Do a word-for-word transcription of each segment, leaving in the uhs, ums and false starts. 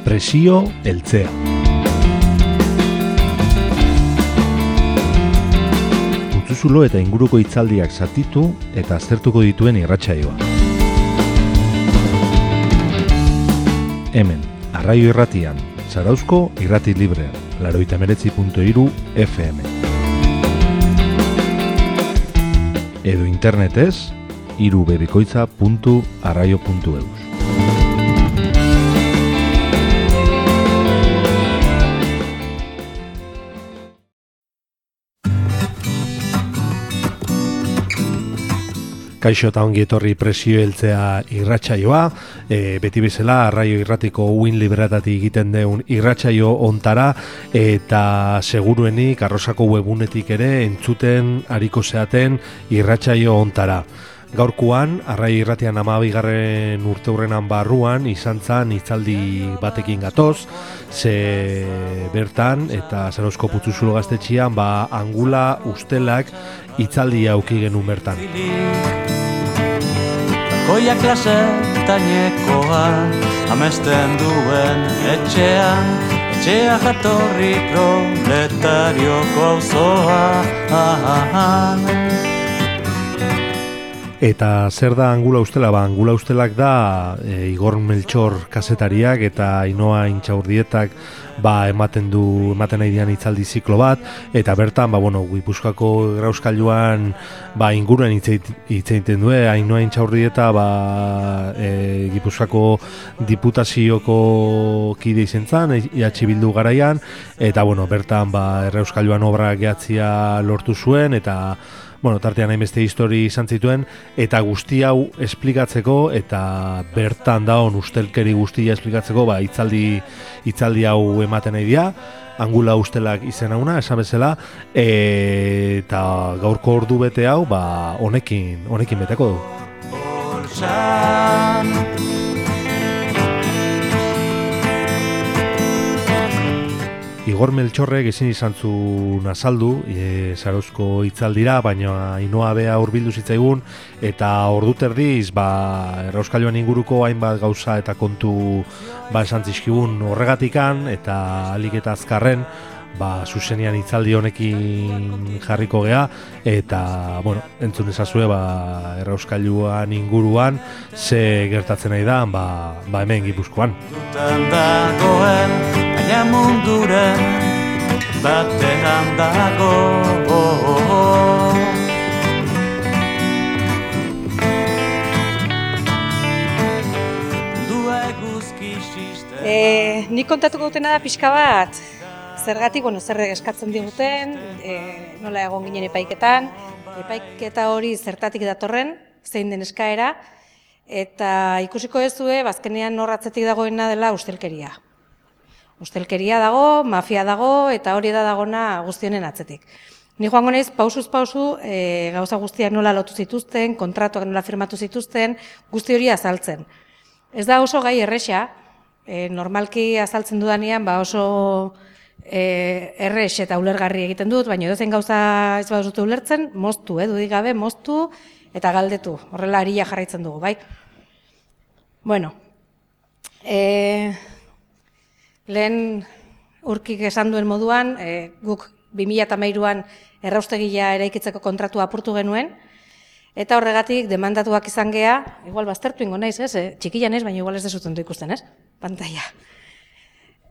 Presio heltzea. Putzuzulo eta inguruko hitzaldiak zatitu eta aztertuko dituen irratsaioa. Hemen, Arraio Irratian, Zarauzko Irrati Librean, laurogeita hemeretzi puntu hiru F M. Edo internetez, irubebikoitza puntu arraio puntu eus. Kaixo eta ongi etorri Presio heltzea irratsaioa, e, beti bezala Arraio Irratiko uin liberatatik egiten deun irratsaio ontara, eta seguruenik Arrosako webunetik ere entzuten ariko zeaten irratsaio ontara. Gaurkoan, Arraio Irratian hamabigarren urteurrenan barruan izan zan hitzaldi batekin gatoz, ze bertan eta Zarauzko Putzuzulo gaztetxean ba angula ustelak hitzaldia auki genuen bertan. Goia klase tainekoa amesten duen etxean, etxea jatorri proletarioko auzoa. Eta zer da angula ustela? Ba, angula ustelak da e, Igor Meltxor kazetariak eta Ainoa Intxaurdietak ba, ematen du ematen nahi dian hitzaldi ziklo bat, eta bertan ba, bueno, Gipuzkoako Grauskailuan ba, inguruen hitz egiten du. Ainoa Intxaurdieta ba, e, Gipuzkoako Diputazioko kide izen zan, E H Bildu garaian, eta bueno, bertan ba, Grauskailuan obra gehatzia lortu zuen, eta bueno, tartean hainbeste histori izan zituen, eta guzti hau esplikatzeko, eta bertan daon ustelkeri guztia esplikatzeko, ba, hitzaldi, hitzaldi hau ematen nahi dira, angula ustelak izen hauna, esan bezala, e, eta gaurko ordu bete hau, ba, honekin, honekin beteko du. Igor Meltxorrek ezin izan zuen azaldu e, Zarauzko hitzaldira, baina Ainoa bea hurbildu zitzaigun, eta ordu terdiz ba, Errauskailuan inguruko hainbat gauza eta kontu ba, esan zizkigun horregatikan, eta alik eta azkarren ba, zuzenian hitzaldi honekin jarriko gea, eta bueno, entzun ezazue ba, Errauskailuan inguruan ze gertatzen nahi da ba, ba hemen Gipuzkoan. Baina munduren batean dago. E, nik kontatuko dutena da pixka bat, zergatik, bueno, zer eskatzen diguten, e, nola egon ginen epaiketan, epaiketa hori zertatik datorren, zein den eskaera, eta ikusiko ezue, bazkenean norratzetik dagoena dela ustelkeria. Ustelkeria dago, mafia dago, eta hori da dagona guztionen atzetik. Ni joango naiz pausuz pausu e, gauza guztiak nola lotu zituzten, kontratuak nola firmatu zituzten, guzti hori azaltzen. Ez da oso gai erresa, e, normalki azaltzen dudanean ba oso e, erres eta ulergarri egiten dut, baina edozein gauza ez baduzute ulertzen, moztu, eh, dudik gabe, moztu eta galdetu. Horrela aria jarraitzen dugu, bai? Bueno, e, lehen urkik esan duen moduan, e, guk bi mila hamairuan erraustegia eraikitzeko kontratua apurtu genuen, eta horregatik demandatuak izan gea, igual baztertu ingo naiz, ez? E, txikian ez, baina igual ez dezuten du ikusten, ez? Pantalla.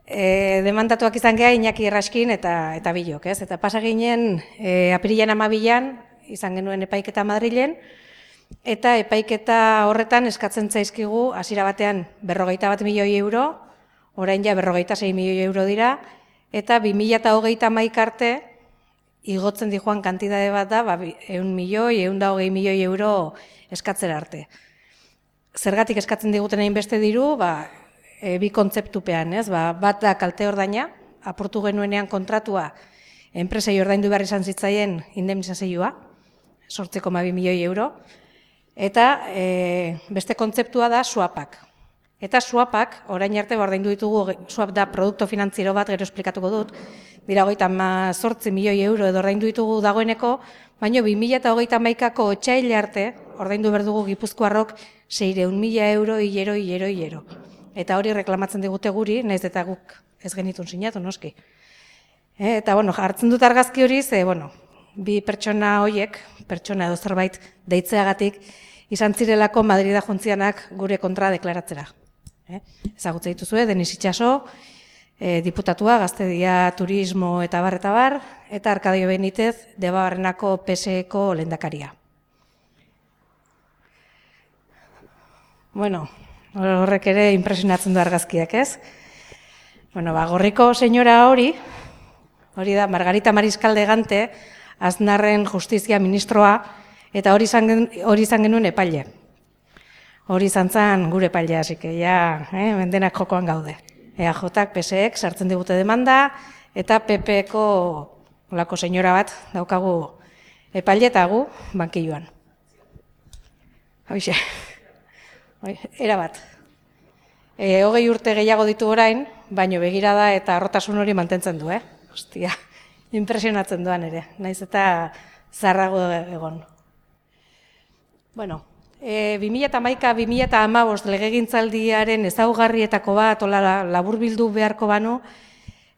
E, demandatuak izan gea Iñaki Erraskin eta, eta bilok, ez? Eta pasa ginen e, apirilan amabilan izan genuen epaiketa Madrilen, eta epaiketa horretan eskatzen zaizkigu hasiera batean berrogeita bat milioi euro, orain ja berrogeita sei milioi euro dira, eta bi mila hogeita hamaika arte igotzen dijoan kantidade bat da, ba, ehun milioi, ehun eta hogei milioi euro eskatzera arte. Zergatik eskatzen diguten hainbeste diru, ba, e, bi kontzeptupean, ez? Ba, bat da kalte ordaina, apurtu genuenean kontratua, enpresei ordaindu behar izan zitzaien indemnizazioa, zortzi koma bi milioi euro, eta e, beste kontzeptua da swapak. Eta swapak, orain arte ordaindu ditugu, swap da produkto finantziero bat, gero esplikatuko dut, dira hogeita zortzi milioi euro edo ordaindu ditugu dagoeneko, baina bi mila hogeita hamaikako otsaile arte ordaindu behar dugu Gipuzkoarrok seiehun mila euro hilero, hilero, hilero. eta hori reklamatzen digute guri, naiz eta guk ez genitun sinatu, noski. E, eta, bueno, hartzen dut argazki hori, ze, bueno, bi pertsona hoiek, pertsona edo zerbait deitzeagatik, izan zirelako Madrida jontzianak gure kontra deklaratzera. E, ezagutze dituzue, Denis Itxaso, e, diputatua, Gaztedia, Turismo eta bar eta bar, eta Arkadio Benitez, Debabarrenako P S E-ko lehendakaria. Bueno, horrek ere impresionatzen du argazkiak, ez? Bueno, ba, Gorriko senyora hori, hori da Margarita Mariscal de Gante, Aznarren justizia ministroa, eta hori izan, hori izan genuen epaile. Hori izan zen gure epailea, hasi que ja, eh, mendenak jokoan gaude. E A Jak, P S E-ek sartzen digute demanda, eta P P-ko olako senyora bat daukagu epaile eta gu bankilloan. Hoixe. Era bat. E, hogei urte gehiago ditu orain, baino begirada eta arrotasun hori mantentzen du, eh? Ostia, impresionatzen duan ere, naiz eta zarrago egon. Bueno, e, bi mila hamaika bi mila hamabost legegintzaldiaren ezaugarrietako bat, ola laburbildu beharko banu,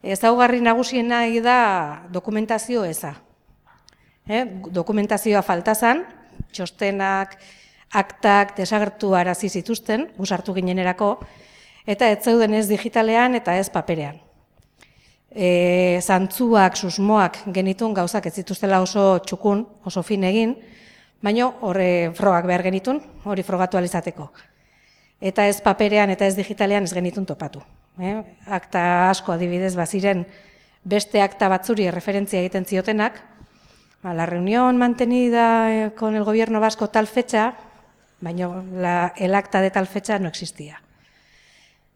ezaugarri nagusiena da dokumentazio eza. E, dokumentazioa falta zen, txostenak, aktak desagertu arazi zituzten, gusartu ginenerako, eta ez zeuden ez digitalean eta ez paperean. E, zantzuak, susmoak genitun gauzak ez zituztela oso txukun, oso fin egin, baina horre frogak behar genitun, hori frogatu alizateko. Eta ez paperean eta ez digitalean ez genitun topatu. E, akta asko adibidez baziren beste akta batzuri referentzia egiten ziotenak, a la reunión mantenida con el gobierno vasco tal fecha, baina la, el acta de tal fecha no existía.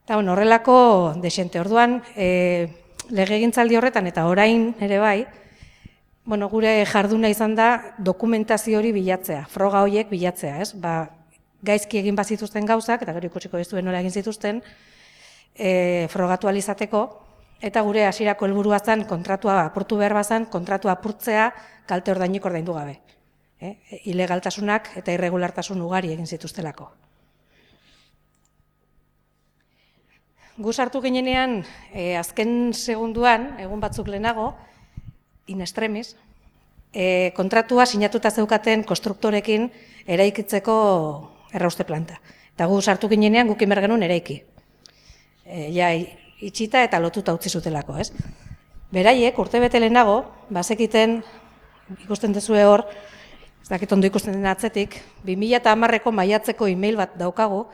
Eta bueno, horrelako desente orduan, e, legegintzaldi horretan eta orain ere bai, bueno, gure jarduna izan da dokumentazio hori bilatzea, froga horiek bilatzea, ez? Ba, gaizki egin bazituzten gauzak, eta gero ikusiko ez duen nola egin zituzten, e, frogatu alizateko, eta gure hasierako helburua zen kontratua apurtu behar bazan, kontratua apurtzea kalte ordainik ordaindu gabe. Eh, ilegaltasunak eta irregulartasun ugari egin zituztelako. Gu sartu ginenean, eh, azken segunduan, egun batzuk lehenago, in extremis, eh, kontratua sinatuta zeukaten konstruktorekin eraikitzeko errauste planta. Eta gu sartu ginenean guk inber genuen eraiki. E, ja, itxita eta lotuta utzi zutelako, ez? Beraiek, urte bete lehenago, bazekiten, ikusten dezue hor, ez dakit ondo ikusten den atzetik, bi mila hamareko maiatzeko e-mail bat daukagu,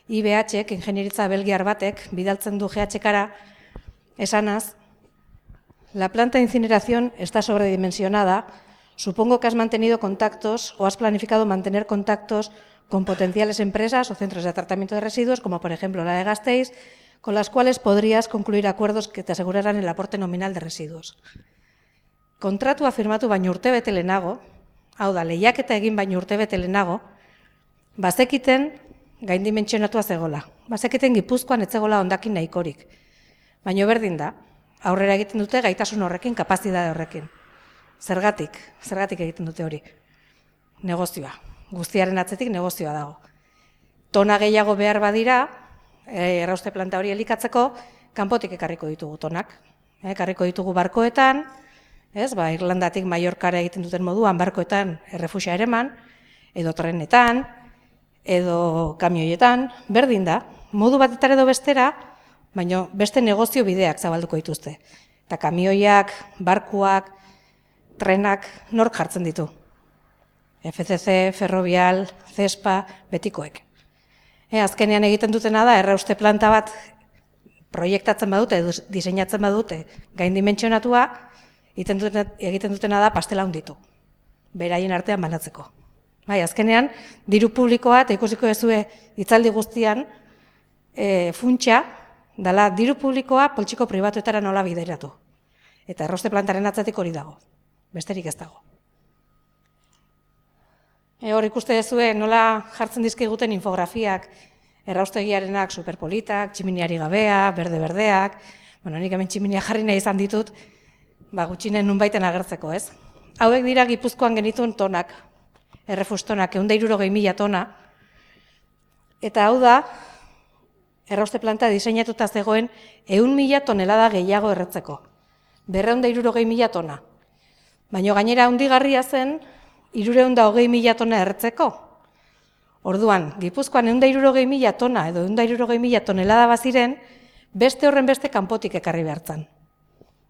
I B H-ek, ingenieritza belgiar batek, bidaltzen du G H-kara, esanaz, la planta de incineración está sobredimensionada, supongo que has mantenido contactos o has planificado mantener contactos con potenciales empresas o centros de tratamiento de residuos, como por ejemplo la de Gasteiz, con las cuales podrías concluir acuerdos que te aseguraran el aporte nominal de residuos. Kontratua firmatu baino urte bete lehenago, hau da, lehiaketa egin baino urte bete lehenago, bazekiten gaindimentsionatua zegola. Bazekiten Gipuzkoan ez zegola hondakin nahikorik. Baina berdin da, aurrera egiten dute gaitasun horrekin, kapazidade horrekin. Zergatik, zergatik egiten dute hori. Negozioa, guztiaren atzetik negozioa dago. Tona gehiago behar badira, errauste planta hori elikatzeko, kanpotik ekarriko ditugu tonak. Ekarriko ditugu barkoetan, ez, ba, Irlandatik Mallorcara egiten duten moduan barkoetan errefusia ereman, edo trenetan, edo kamioietan, berdin da, modu batetara edo bestera, baina beste negozio bideak zabalduko dituzte. Eta kamioiak, barkuak, trenak, nork jartzen ditu. F C C, Ferrovial, Cespa, betikoek. E, azkenean egiten dutena da, errauste planta bat proiektatzen badute, edo diseinatzen badute, gaindimentsionatua, egiten dutena da pastela hunditu, beraien artean banatzeko. Bai, azkenean, diru publikoa, eta ikusiko ezue hitzaldi guztian, e, funtsa, dala diru publikoa poltsiko pribatuetara nola bideratu. Eta errauste plantaren atzatik hori dago, besterik ez dago. E, hor ikuste ezue nola jartzen dizkiguten infografiak, erraustegiarenak superpolitak, tximiniari gabea, berde-berdeak, bueno, nik hemen tximinia jarri nahi izan ditut, ba, gutxinen nunbaiten agertzeko, ez? Hauek dira Gipuzkoan genituen tonak, errefustonak, ehun eta hirurogei mila tona, eta hau da, errauste planta diseinatuta zegoen ehun mila tonelada gehiago erretzeko. Berrehun eta hirurogei mila tona. Baina gainera handigarria zen, hirurehun eta hogei mila tona erretzeko. Orduan, Gipuzkoan ehun eta hirurogei mila tona edo ehun eta hirurogei mila tonelada baziren, beste horren beste kanpotik ekarri behartzen.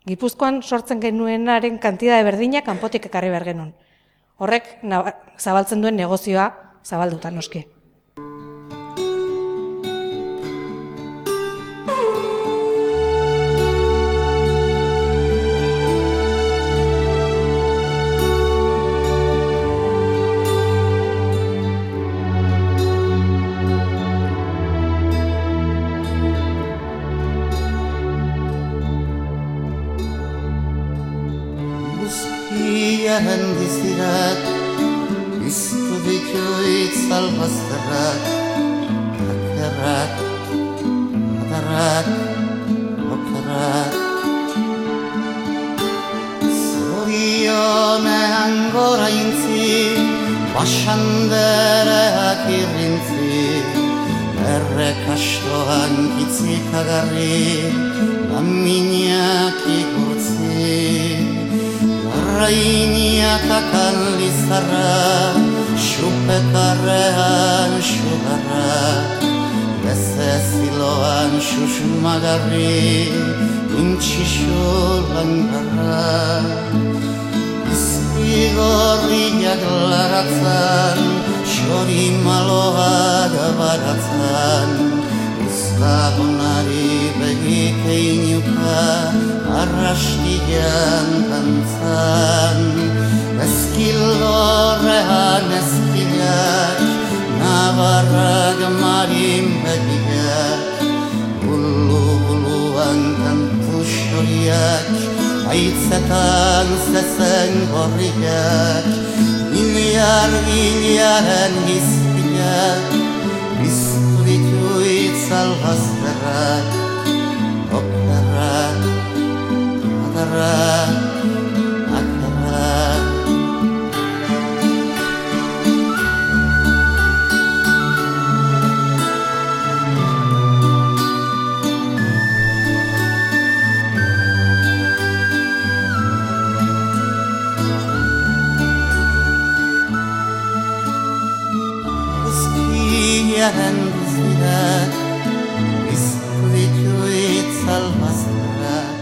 Gipuzkoan sortzen genuenaren kantidade berdina kanpotik ekarri behar genuen. Horrek zabaltzen duen negozioa zabalduta noski. Guztiaren bizirak, biztu ditu itzal bazterrak, akerrak, adarrak, okerrak. Zorionean gora intzi, basandereak irrintzi, errekastoan kitzikagarri, laminak ikurtzi. Rainiak akan lizarra, xupekarrean xugarra, lezeziloan xuxumagarri, intxixu langarra. Izpigorriak laratzan, xori maloak baratzan, Uzlagonari begik einuka, arrastian kantzan. Ezkilorrean ezkilak, nabarrak marin begiak, bulu-buluan kantu xoriak, haitzetan zezen gorriak, biliar-biliaren gizpilak, biztu ditu itzal bazterrak, okerrak, adarrak, akerrak. Guztiaren bizirak, biztu ditu itzal bazterrak.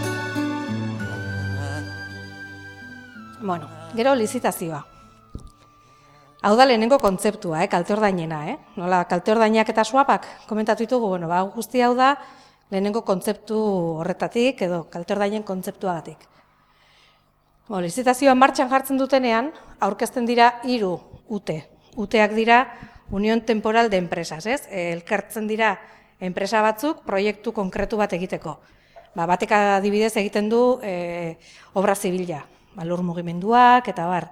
Bueno, gero lizitazioa. Hau da lehenengo kontzeptua, eh, kalte-ordainena, eh? Nola, kalte-ordainak eta swapak komentatu ditugu, bueno, ba, guzti hau da lehenengo kontzeptu horretatik edo kalte-ordainen kontzeptuagatik. Bueno, lizitazioa martxan jartzen dutenean, aurkezten dira hiru ute. Uteak dira Unión Temporal de Empresas, ez? Elkartzen dira enpresa batzuk proiektu konkretu bat egiteko. Ba, batek adibidez egiten du e, obra zibila, ba, lur mugimenduak eta bar.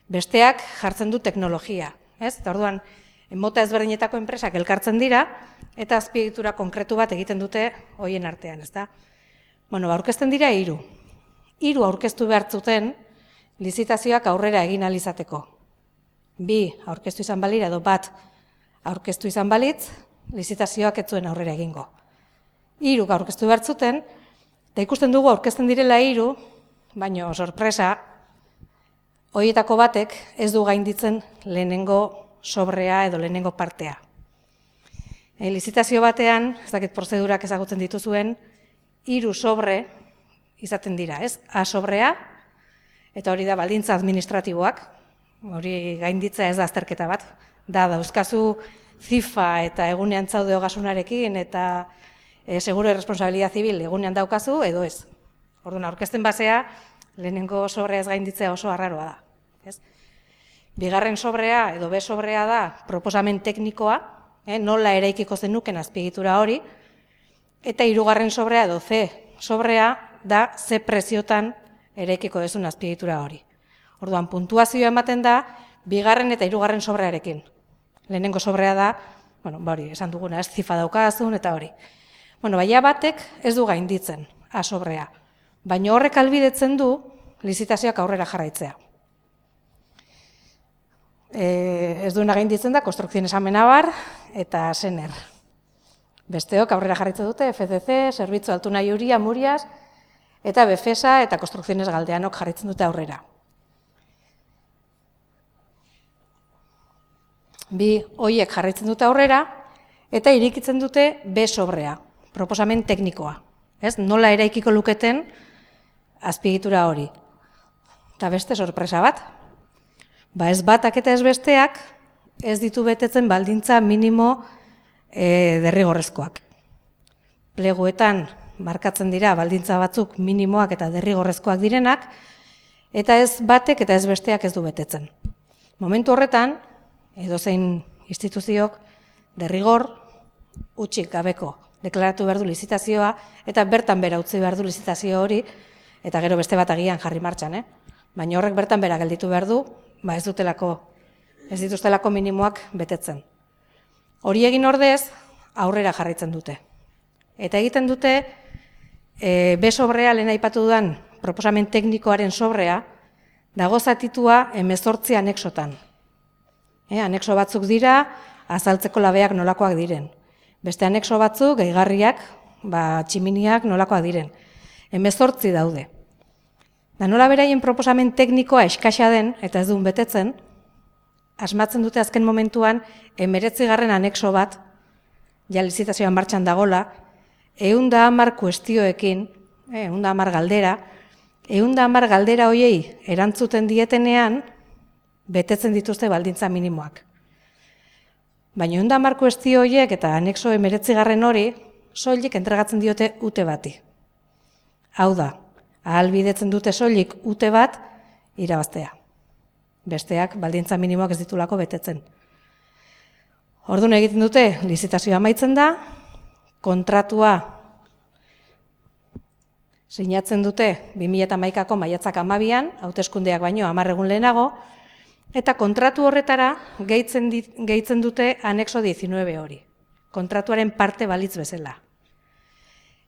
Besteak jartzen du teknologia, ez? Eta orduan, mota ezberdinetako enpresak elkartzen dira eta azpiegitura konkretu bat egiten dute hoien artean, ezta? Bueno, ba, aurkezten dira hiru. Hiru aurkeztu behar zuten lizitazioak aurrera egin ahal izateko. Bi aurkeztu izan balira edo bat aurkeztu izan balitz, lizitazioak ez zuen aurrera egingo. Hiru aurkeztu behar zuten, eta ikusten dugu aurkezten direla hiru, baina sorpresa, horietako batek ez du gainditzen lehenengo sobrea edo lehenengo partea. E, lizitazio batean, ez dakit prozedurak ezagutzen dituzuen, hiru sobre izaten dira, ez? A sobrea, eta hori da baldintza administratiboak, hori gainditza ez da azterketa bat, da dauzkazu zifa eta egunean zaude ogasunarekin eta e, seguro de responsabilidad zibil egunean daukazu edo ez. Orduan aurkezten basea lehenengo sobrea ez gainditzea oso arraroa da. Ez? Bigarren sobrea edo B sobrea da proposamen teknikoa, eh, nola eraikiko zenuken azpiegitura hori, eta hirugarren sobrea edo C sobrea da ze preziotan eraikiko dezun azpiegitura hori. Orduan, puntuazioa ematen da, bigarren eta hirugarren sobrearekin. Lehenengo sobrea da, bueno, ba hori, esan duguna, ez zifa daukazun eta hori. Bueno, baina batek ez du gainditzen, A sobrea. Baina horrek albidetzen du, lizitazioak aurrera jarraitzea. E, ez duena gainditzen da, konstrukzioen esamena bar, eta sener. Besteok aurrera jarraitzen dute F C C, Zerbitzu Altuna Iuria, Murias, eta Befesa eta Construcciones Galdeanok jarraitzen dute aurrera. Bi hoiek jarraitzen dute aurrera, eta irikitzen dute B sobrea, proposamen teknikoa. Ez, nola eraikiko luketen azpiegitura hori. Eta beste sorpresa bat. Ba ez batak eta ez besteak ez ditu betetzen baldintza minimo e, derrigorrezkoak. Pleguetan markatzen dira baldintza batzuk minimoak eta derrigorrezkoak direnak, eta ez batek eta ez besteak ez du betetzen. Momentu horretan, edozein instituziok derrigor utzik gabeko deklaratu behar du lizitazioa, eta bertan bera utzi behar du lizitazio hori, eta gero beste bat agian jarri martxan, eh? Baina horrek bertan bera gelditu behar du, ba ez dutelako, ez dituztelako minimoak betetzen. Hori egin ordez, aurrera jarraitzen dute. Eta egiten dute, e, B sobrea lehen aipatu dudan proposamen teknikoaren sobrea, dago zatitua hemezortzi anexotan. E, anexo batzuk dira, azaltzeko labeak nolakoak diren. Beste anexo batzuk, gehigarriak, ba, tximiniak nolakoak diren. Hemezortzi daude. Da nola beraien proposamen teknikoa eskaxa den, eta ez duen betetzen, asmatzen dute azken momentuan, hemeretzigarren anexo bat, ja lizitazioan martxan dagola, ehun da hamar kuestioekin, ehun da hamar galdera, ehun da hamar galdera hoiei erantzuten dietenean, betetzen dituzte baldintza minimoak. Baina ehun da hamar kuestio horiek eta anexo hemeretzigarren hori, soilik entregatzen diote ute bati. Hau da, ahalbidetzen dute soilik ute bat irabaztea. Besteak baldintza minimoak ez ditulako betetzen. Orduan egiten dute, lizitazioa amaitzen da, kontratua sinatzen dute bi mila hamaikako maiatzak hamabian, hauteskundeak baino hamar egun lehenago, eta kontratu horretara gehitzen, dit, gehitzen dute anexo diecinueve hori. Kontratuaren parte balitz bezala.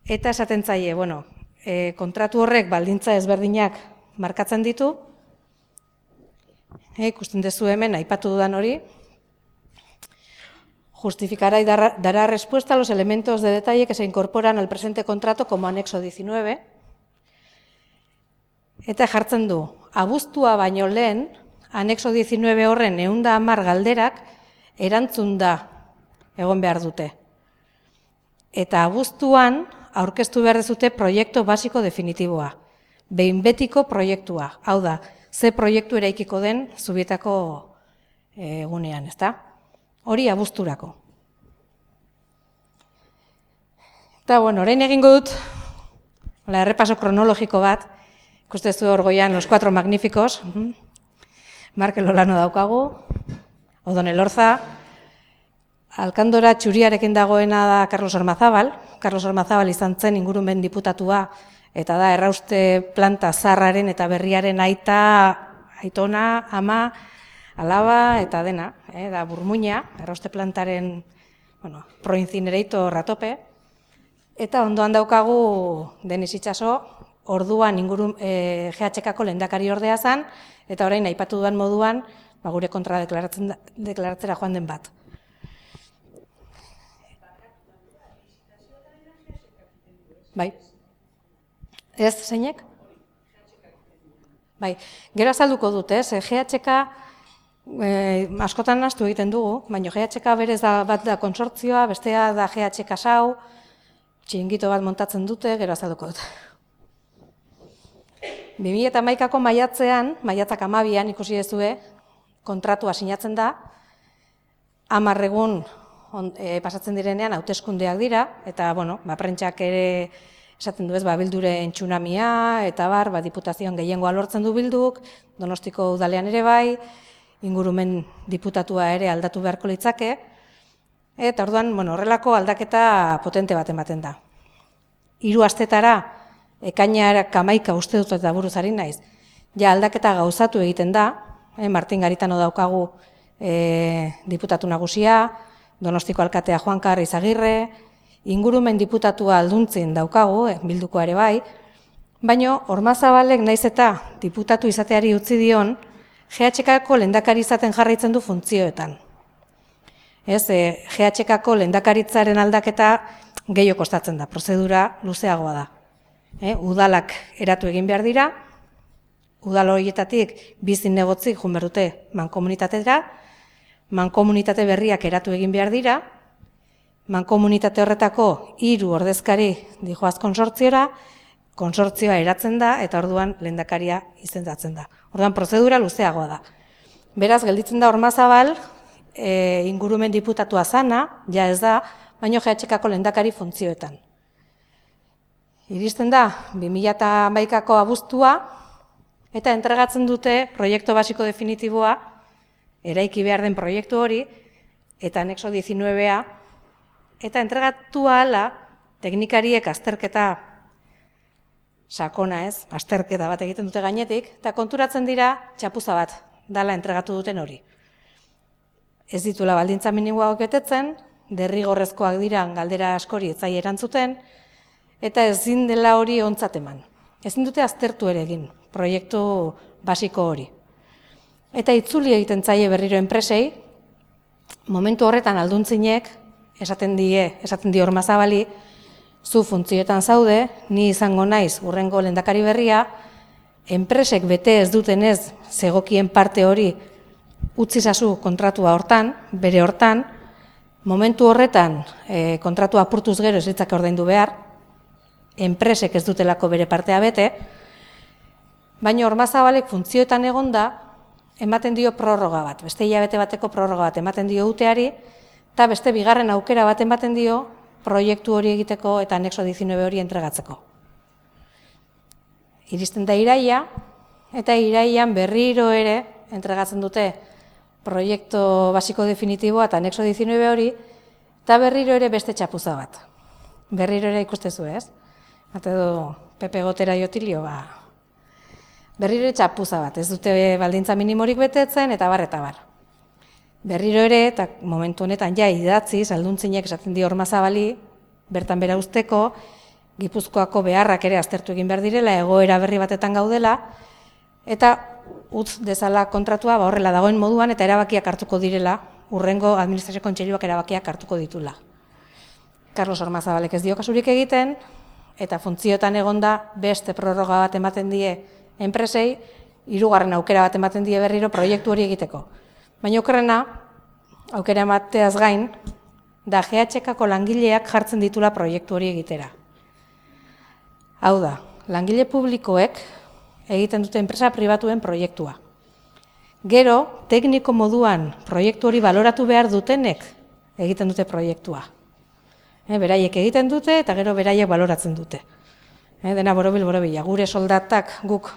Eta esaten zaie, bueno, e, kontratu horrek baldintza ezberdinak markatzen ditu, e, ikusten duzu hemen, aipatu dudan hori, justificará y dará, dará respuesta a los elementos de detalle que se incorporan al presente contrato como anexo diecinueve, eta jartzen du, abuztua baino lehen, anexo diecinueve horren ehun da hamar galderak erantzun da egon behar dute. Eta abuztuan aurkeztu behar dezute proiektu basiko definitiboa, behin betiko proiektua, hau da, ze proiektu eraikiko den Zubietako egunean, ezta? Hori abuzturako. Eta, bueno, orain egingo dut, la errepaso kronologiko bat, ikustezu hor goian los cuatro magníficos, Markel Olano daukagu, Odon Elorza, Alkandora txuriarekin dagoena da Carlos Ormazabal. Carlos Ormazabal izan zen ingurumen diputatua, eta da errauste planta zarraren eta berriaren aita, aitona, ama, alaba eta dena, eh, da burmuina, errauste plantaren, bueno, proincinerator ratope, eta ondoan daukagu Denis Itxaso, orduan inguru e, G H K-ko lehendakari ordea zen, eta orain aipatu dudan moduan, ba, gure kontra deklaratzen, deklaratzera joan den bat. Bai. Ez, zeinek? Bai. Gero azalduko dut, ez? G H K e, askotan nahastu egiten dugu, baina G H K berez da, bat da konsortzioa, bestea da G H K sau, txingito bat montatzen dute, gero azalduko dut. bi mila hamaikako maiatzean, maiatzak hamabian ikusi dezue, kontratua sinatzen da, hamar egun e, pasatzen direnean hauteskundeak dira, eta, bueno, ba, prentsak ere esaten du ez, ba, bilduren tsunamia, eta bar, ba, diputazioan gehiengoa lortzen du bilduk, Donostiko udalean ere bai, ingurumen diputatua ere aldatu beharko litzake, eta orduan, bueno, horrelako aldaketa potente bat ematen da. Hiru astetara, ekainak hamaika uste dut eta buruz ari naiz, ja aldaketa gauzatu egiten da, eh, Martin Garitano daukagu eh, diputatu nagusia, Donostiko alkatea Juan Karri Izagirre, ingurumen diputatua alduntzin daukagu, eh, bilduko ere bai, baino Ormazabalek naiz eta diputatu izateari utzi dion, G H K-ko lehendakari izaten jarraitzen du funtzioetan. Ez, e, G H K-ko lehendakaritzaren aldaketa gehiago kostatzen da, prozedura luzeagoa da. E, udalak eratu egin behar dira, udal horietatik bizin negotzik jun behar dute mankomunitatera, mankomunitate berriak eratu egin behar dira, mankomunitate horretako hiru ordezkari dijoaz konsortziora, konsortzioa eratzen da eta orduan lehendakaria izendatzen da. Orduan prozedura luzeagoa da. Beraz, gelditzen da Ormazabal, e, ingurumen diputatua zana, ja ez da, baino G H K-ko lehendakari funtzioetan. Iristen da, bi mila hamaikako abuztua, eta entregatzen dute proiektu basiko definitiboa, eraiki behar den proiektu hori, eta anexo diecinuevea, eta entregatu ahala, teknikariek azterketa sakona ez, azterketa bat egiten dute gainetik, eta konturatzen dira txapuza bat, dala entregatu duten hori. Ez ditula baldintza minimoak betetzen, derrigorrezkoak dira galdera askori etzai erantzuten, eta ezin dela hori ontzat eman. Ezin dute aztertu ere egin, proiektu basiko hori. Eta itzuli egiten zaie berriro enpresei, momentu horretan alduntzinek, esaten die, esaten die Ormazabali, zu funtzioetan zaude, ni izango naiz urrengo lehendakari berria, enpresek bete ez dutenez zegokien parte hori utzi zazu kontratua hortan, bere hortan, momentu horretan e, kontratua apurtuz gero ez litzake ordaindu behar, enpresek ez dutelako bere partea bete, baina Ormazabalek funtzioetan egonda ematen dio prorroga bat, beste hilabete bateko prorroga bat ematen dio uteari, eta beste bigarren aukera bat ematen dio proiektu hori egiteko eta anexo diecinueve hori entregatzeko. Iristen da iraia, eta iraian berriro ere entregatzen dute proiektu basiko definitiboa eta anexo diecinueve hori, eta berriro ere beste txapuza bat. Berriro ere ikustezu ez? Eta edo Pepe Gotera jotilio, ba. Berriro ere txapuza bat, ez dute baldintza minimorik betetzen, eta bar, eta bar. Berriro ere, eta momentu honetan ja idatziz, alduntzinek esaten dio Ormazabali, bertan bera usteko, Gipuzkoako beharrak ere aztertu egin behar direla, egoera berri batetan gaudela, eta utz dezala kontratua ba horrela dagoen moduan eta erabakiak hartuko direla, urrengo administrazio kontseiluak erabakiak hartuko ditula. Carlos Ormazabalek ez dio kasurik egiten, eta funtzioetan egonda beste prorroga bat ematen die enpresei, hirugarren aukera bat ematen die berriro proiektu hori egiteko. Baina okerrena, aukera emateaz gain, da G H K-ko langileak jartzen ditula proiektu hori egitera. Hau da, langile publikoek egiten dute enpresa pribatuen proiektua. Gero, tekniko moduan proiektu hori baloratu behar dutenek egiten dute proiektua. E, beraiek egiten dute eta gero beraiek baloratzen dute. E, dena borobil borobila, gure soldatak guk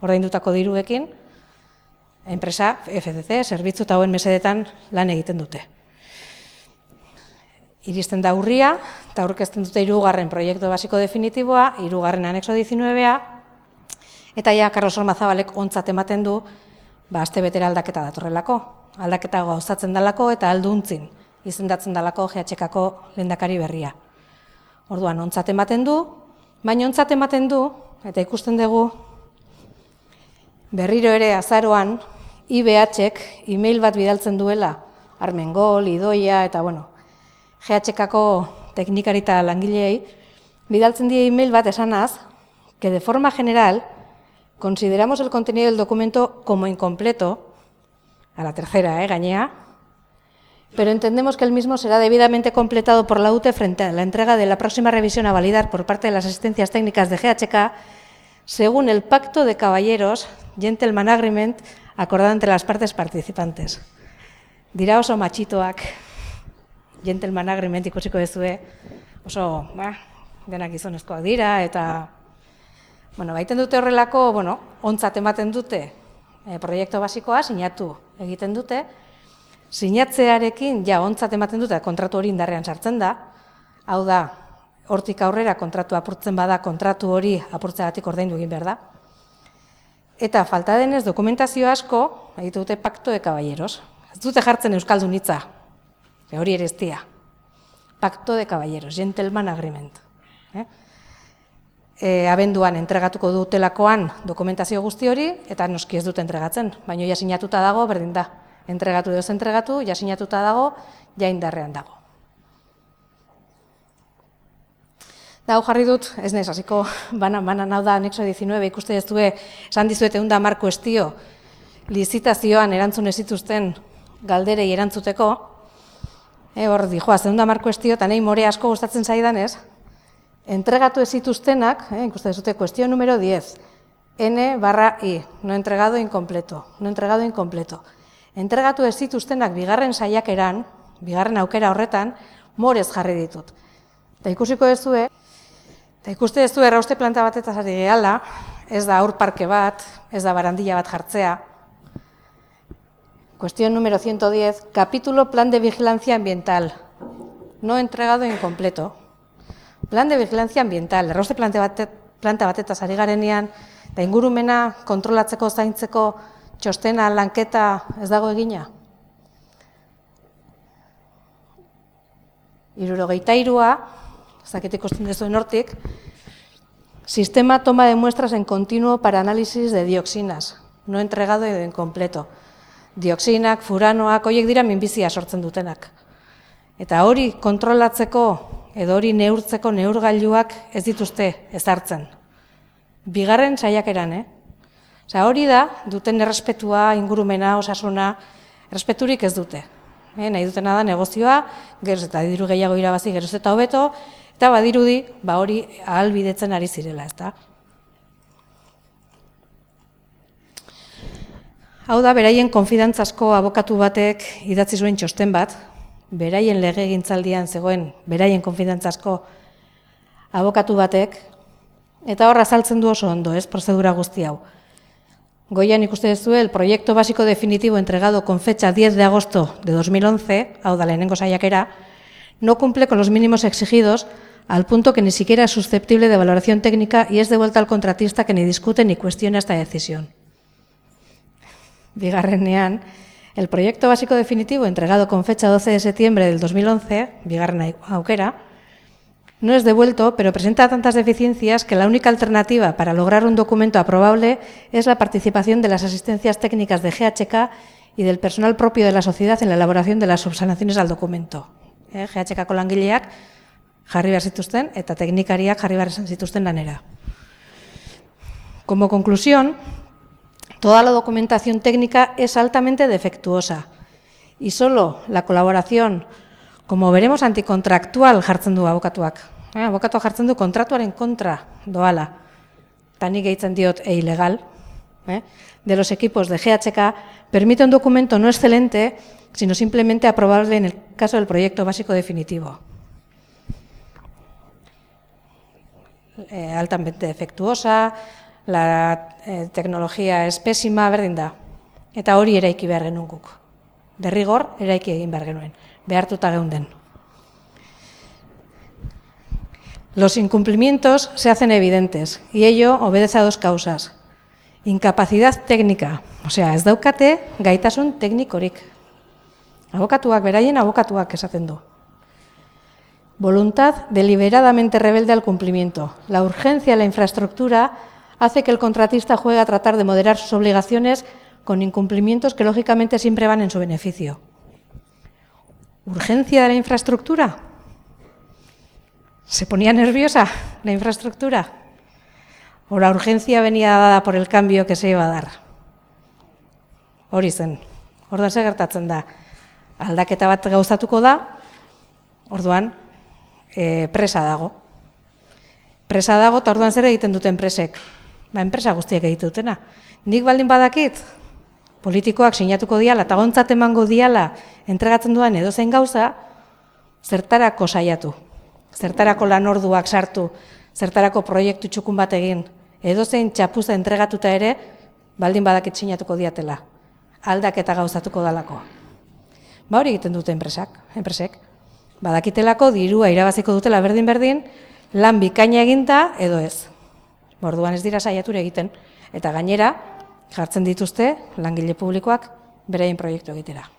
ordaindutako diruekin, enpresa F C C, zerbitzu eta hauen mesedetan lan egiten dute. Iristen da urria, eta aurkezten dute hirugarren proiektu basiko definitiboa, hirugarren anexo diecinuevea, eta ja Carlos Ormazabalek ontzat ematen du, ba, aste betera aldaketa datorrelako. Aldaketa gauzatzen dalako eta alduntzin izendatzen dalako G H K-ko lehendakari berria. Orduan, ontzat ematen du, baina ontzat ematen du, eta ikusten dugu, berriro ere azaroan, I B H-ek e-mail bat bidaltzen duela, Armengol, Idoia, eta bueno, G H K-ko teknikari eta langileei, bidaltzen die e-mail bat esanaz, que de forma general, consideramos el contenido del documento como incompleto, a la tercera, eh, gañea, pero entendemos que el mismo será debidamente completado por la U T E frente a la entrega de la próxima revisión a validar por parte de las asistencias técnicas de G H K, según el Pacto de Caballeros, Gentleman Agreement, acordado entre las partes participantes. Dira oso matxitoak, Gentleman Agreement ikusiko dezue, oso, ba, denak gizonezkoak dira, eta bueno, baiten dute horrelako, bueno, ontzat ematen dute e, proiektu basikoa, sinatu egiten dute, sinatzearekin ja ontzat ematen dute kontratu hori indarrean sartzen da, hau da, hortik aurrera kontratu apurtzen bada, kontratu hori apurtzeagatik ordaindu egin behar da. Eta falta denez dokumentazio asko, egite dute Pacto de Caballeros. Ez dute jartzen euskaldun hitza, hori ere ez dia. Pacto de Caballeros, Gentleman Agreement. Eh? E, abenduan entregatuko dutelakoan dokumentazio guzti hori, eta noski ez dute entregatzen, baina ja sinatuta dago, berdin da. Entregatu edo entregatu, ja sinatuta dago, ja indarrean dago. Da, hau jarri dut, ez nez, hasiko banan-banan hau da, anexo diecinueve, ikuste ez due, esan dizuet egun da mar kuestio, lizitazioan erantzun ez zituzten galderei erantzuteko, e, hor di, joaz, egun da mar kuestio, eta nahi more asko gustatzen zaidan ez, entregatu ez zituztenak, eh, ikuste ez dute, kuestio numero diez, N barra I, no entregado incompleto, no entregado incompleto. Entregatu ez zituztenak bigarren saiakeran, bigarren aukera horretan, morez jarri ditut. Eta ikusiko ez due, eta ikuste ez du errauste planta batetaz ari gehala, ez da aur parke bat, ez da barandilla bat jartzea. Cuestión número ciento diez, capítulo Plan de Vigilancia Ambiental. No entregado incompleto. Plan de Vigilancia Ambiental, errauste planta, bate, planta batetaz ari garenean, eta ingurumena kontrolatzeko zaintzeko txostena lanketa ez dago egina. Hirurogeita hirua, zakit ikusten duzuen hortik, sistema toma de muestras en continuo para análisis de dioxinas, no entregado edo incompleto. Dioxinak, furanoak, horiek dira minbizia sortzen dutenak. Eta hori kontrolatzeko edo hori neurtzeko neurgailuak ez dituzte ezartzen. Bigarren saiakeran, eh? Osa, hori da, duten errespetua, ingurumena, osasuna, errespeturik ez dute. Eh, nahi dutena da negozioa, geroz eta diru gehiago irabazi, geroz eta hobeto, eta badirudi, ba hori ahalbidetzen ari zirela, ezta? Hau da, beraien konfidantzazko abokatu batek idatzi zuen txosten bat, beraien legegintzaldian zegoen, beraien konfidantzazko abokatu batek, eta hor azaltzen du oso ondo, ez, prozedura guzti hau. Goian ikuste duzu, el proyecto básico definitivo entregado con fecha diez de agosto de dos mil once, hau da lehenengo saiakera, no cumple con los mínimos exigidos al punto que ni siquiera es susceptible de valoración técnica y es devuelta al contratista que ni discute ni cuestiona esta decisión. Bigarrenean, el proyecto básico definitivo entregado con fecha doce de septiembre del dos mil once, bigarren aukera, no es devuelto, pero presenta tantas deficiencias que la única alternativa para lograr un documento aprobable es la participación de las asistencias técnicas de G H K y del personal propio de la sociedad en la elaboración de las subsanaciones al documento. Eh, G H K-ko langileak jarri behar zituzten eta teknikariak jarri behar zituzten lanera. Como conclusión, toda la documentación técnica es altamente defectuosa y solo la colaboración, como veremos, antikontractual jartzen du abokatuak. Eh, abokatuak jartzen du kontratuaren kontra doala, eta nik gehitzen diot e ilegal, eh, de los equipos de G H K, permite un documento no excelente, sino simplemente aprobable en el caso del proyecto básico definitivo. Eh, altamente defectuosa, la eh, tecnología es pésima, berdin da. Eta hori eraiki behar genuen guk. Derrigor, eraiki egin behar genuen. Behartuta geunden. Los incumplimientos se hacen evidentes y ello obedece a dos causas. Incapacidad técnica, o sea, ez daukate gaitasun teknikorik. Abokatuak, beraien abokatuak esaten du. Voluntad deliberadamente rebelde al cumplimiento. La urgencia de la infraestructura hace que el contratista juegue a tratar de moderar sus obligaciones con incumplimientos que lógicamente siempre van en su beneficio. ¿Urgencia de la infraestructura? ¿Se ponía nerviosa la infraestructura? ¿O la urgencia venía dada por el cambio que se iba a dar? Hori zen, orduan ze gertatzen da. Aldaketa bat gauzatuko da, orduan e, presa dago. Presa dago, eta orduan zer egiten duten presek? Ba, enpresa guztiek egiten dutena. Nik baldin badakit, politikoak sinatuko diala, eta gontzat emango diala, entregatzen duan edozein gauza, zertarako saiatu, zertarako lanorduak sartu, zertarako proiektu txukun bat egin, edozein txapuza entregatuta ere, baldin badakit sinatuko diatela, aldaketa gauzatuko dalako. Ba hori egiten dute enpresak, enpresek. Badakitelako dirua irabaziko dutela berdin-berdin, lan bikaina eginta edo ez. Orduan ez dira saiatura egiten, eta gainera, jartzen dituzte langile publikoak beraien proiektu egitera.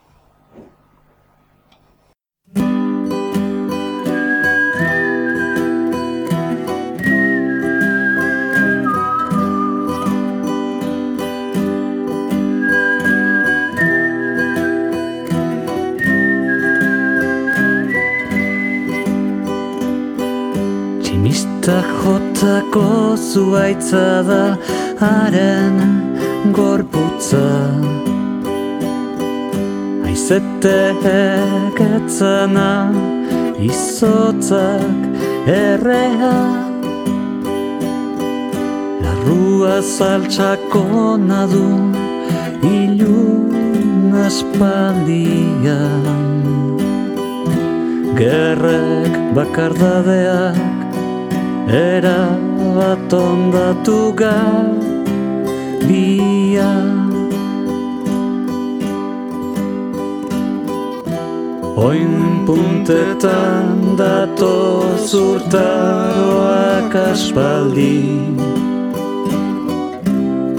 Tximista jotako zuaitza da haren gorputza. Aizetek etzena izotzak errea. Larrua saltxako nadu ilun aspaldian. Gerrek bakardadeak erabat ondatu gabia. Oin puntetan dato zurtaroak aspaldi.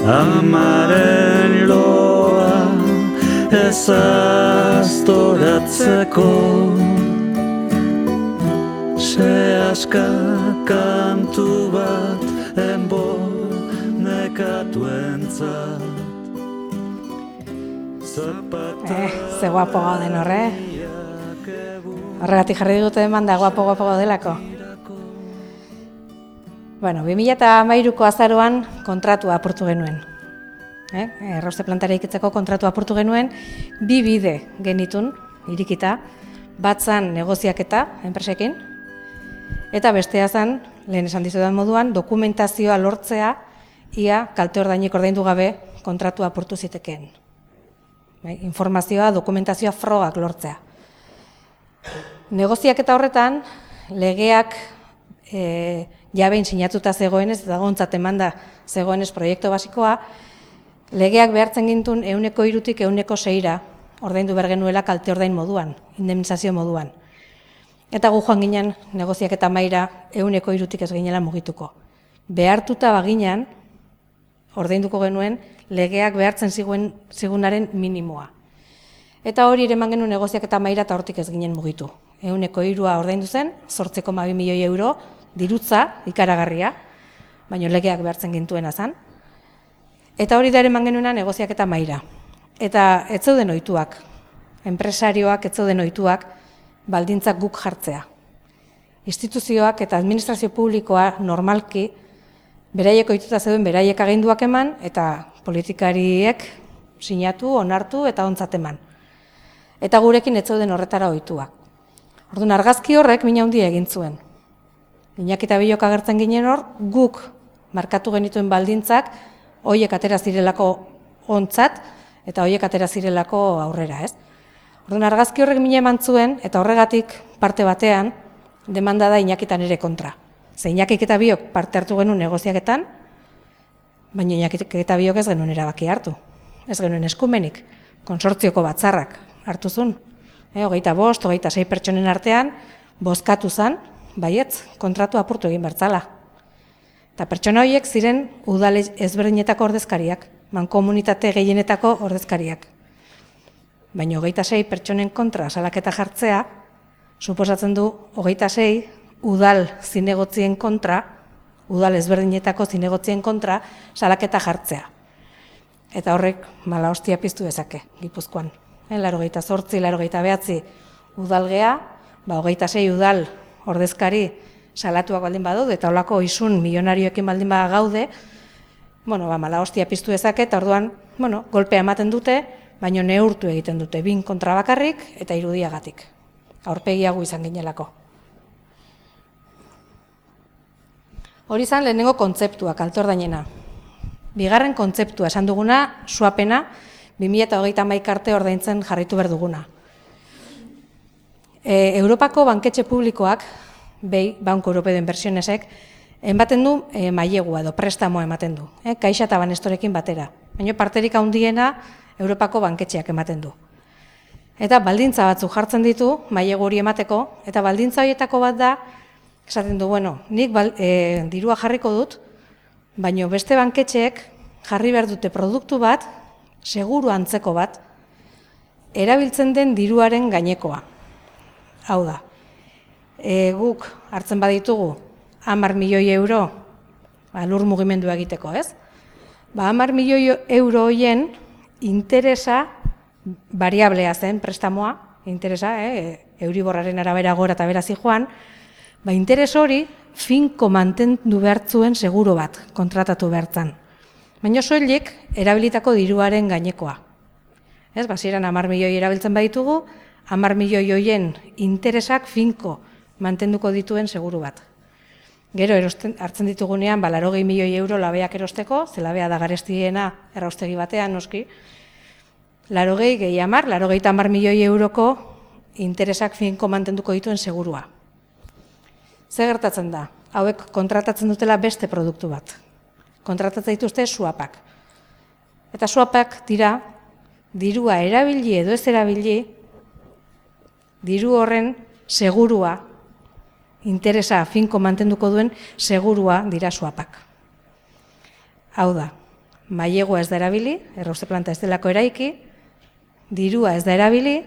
Amaren loa ezaztoratzeko. Sehaska kantu bat enbo nekatuentzat. Eh, ze guapo gauden horre. Horregatik jarri dute eman da guapo-guapo gaudelako. Bueno, bi mila hamairuko azaroan kontratua apurtu genuen. Eh? Errauste plantara ikitzeko kontratua apurtu genuen, bi bide genitun, irikita, bat zan negoziaketa enpresekin, eta bestea zen, lehen esan dizudan moduan, dokumentazioa lortzea, ia kalte ordainik ordaindu gabe kontratua apurtu zitekeen. Bai, informazioa, dokumentazioa frogak lortzea. Negoziaketa horretan, legeak e, jabein sinatuta zegoenez, eta gontzat emanda zegoenez proiektu basikoa, legeak behartzen gintun ehuneko hirutik ehuneko seira ordaindu behar genuela kalte ordain moduan, indemnizazio moduan. Eta gu joan ginen negoziaketa maira ehuneko hirutik ez ginela mugituko. Behartuta baginan, ordainduko genuen, legeak behartzen ziguen, zigunaren minimoa. Eta hori ere eman genuen negoziaketa maira eta hortik ez ginen mugitu. Ehuneko hirua ordaindu zen, zortzi koma bi milioi euro, dirutza, ikaragarria, baina legeak behartzen gintuena zen. Eta hori da ere eman genuena negoziaketa maira. Eta ez zeuden ohituak, enpresarioak ez zeuden ohituak, baldintzak guk jartzea. Instituzioak eta administrazio publikoa normalki beraiek ohituta zeuden beraiek aginduak eman eta politikariek sinatu, onartu eta ontzat eman. Eta gurekin ez zeuden horretara ohituak. Orduan argazki horrek mina handia egin zuen. Iñaki eta Bilok agertzen ginen hor, guk markatu genituen baldintzak hoiek atera zirelako ontzat eta hoiek atera zirelako aurrera, ez? Orduan argazki horrek mina eman zuen eta horregatik parte batean demanda da Iñakitan ere kontra. Ze Iñakik eta Biok parte hartu genuen negoziaketan, baina Iñakik eta Biok ez genuen erabaki hartu. Ez genuen eskumenik, konsortzioko batzarrak hartu zuen. E, hogeita bost, hogeita sei pertsonen artean, bozkatu zen, baietz, kontratu apurtu egin bertzala. Eta pertsona horiek ziren udal ezberdinetako ordezkariak, mankomunitate gehienetako ordezkariak. Baina hogeita sei pertsonen kontra salaketa jartzea, suposatzen du hogeita sei udal zinegotzien kontra, udal ezberdinetako zinegotzien kontra salaketa jartzea. Eta horrek mala hostia piztu dezake, Gipuzkoan. Laurogeita zortzi, laurogeita behatzi udalgea, ba, hogeita sei udal ordezkari salatuak baldin badaude, eta holako isun milionarioekin baldin bada gaude, bueno, ba, mala hostia piztu dezake, eta orduan, bueno, golpea ematen dute, baino neurtu egiten dute, bin kontra bakarrik eta irudiagatik. Aurpegiago izan ginelako. Hori izan lehenengo kontzeptua, kalte ordainena. Bigarren kontzeptua, esan duguna, suapena, bi mila hogeita hamaika arte ordaintzen jarraitu behar duguna. E, Europako banketxe publikoak, behi, Banko Europeo de Inversionesek, ematen du e, mailegua edo prestamoa ematen du, e, Kaixa eta Banestorekin batera. Baina parterik handiena Europako banketxeak ematen du. Eta baldintza batzuk jartzen ditu, mailegu hori emateko, eta baldintza horietako bat da, esaten du, bueno, nik bal, e, dirua jarriko dut, baina beste banketxeek jarri behar dute produktu bat, seguru antzeko bat, erabiltzen den diruaren gainekoa. Hau da, e, guk hartzen baditugu hamar milioi euro ba, lur mugimendua egiteko, ez? Ba, hamar milioi euro hoien interesa variablea zen prestamoa, interesa, eh, Euriborraren arabera gora eta berazi joan, ba, interes hori finko mantendu behartzuen seguru bat kontratatu behartzan. Baina soilik erabilitako diruaren gainekoa. Ez, basieran hamar milioi erabiltzen baditugu, hamar milioi hoien interesak finko mantenduko dituen seguru bat. Gero erosten, hartzen ditugunean, ba, laurogei milioi euro labeak erosteko, ze labea da garestiena erraustegi batean, noski, laurogei gehi hamar, laurogeita hamar milioi euroko interesak finko mantenduko dituen segurua. Zer gertatzen da? Hauek kontratatzen dutela beste produktu bat. Kontratatzen dituzte swapak. Eta swapak dira, dirua erabili edo ez erabili, diru horren segurua, interesa finko mantenduko duen segurua dira swapak. Hau da, mailegua ez da erabili, errauste planta ez delako eraiki, dirua ez da erabili,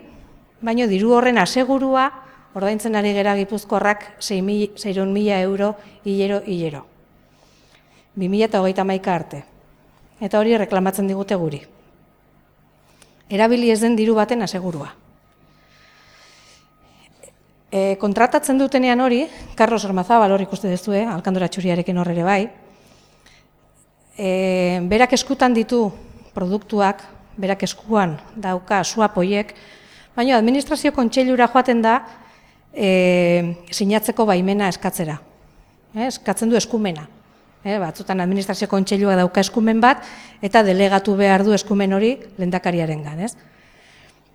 baina diru horren asegurua ordaintzen ari gera Gipuzkoarrak seiehun mila euro hilero hilero. bi mila hogeita hamaika arte. Eta hori reklamatzen digute guri. Erabili ez den diru baten asegurua. E, kontratatzen dutenean hori, Carlos Ormazabal hori ikuste duzue, Alkandora Txuriarekin hor ere bai, e, berak eskutan ditu produktuak, berak eskuan dauka swap hoiek, baina administrazio kontseilura joaten da e, sinatzeko baimena eskatzera. E, eskatzen du eskumena. E, batzutan administrazio kontseilua dauka eskumen bat, eta delegatu behar du eskumen hori lehendakariarengan, ez?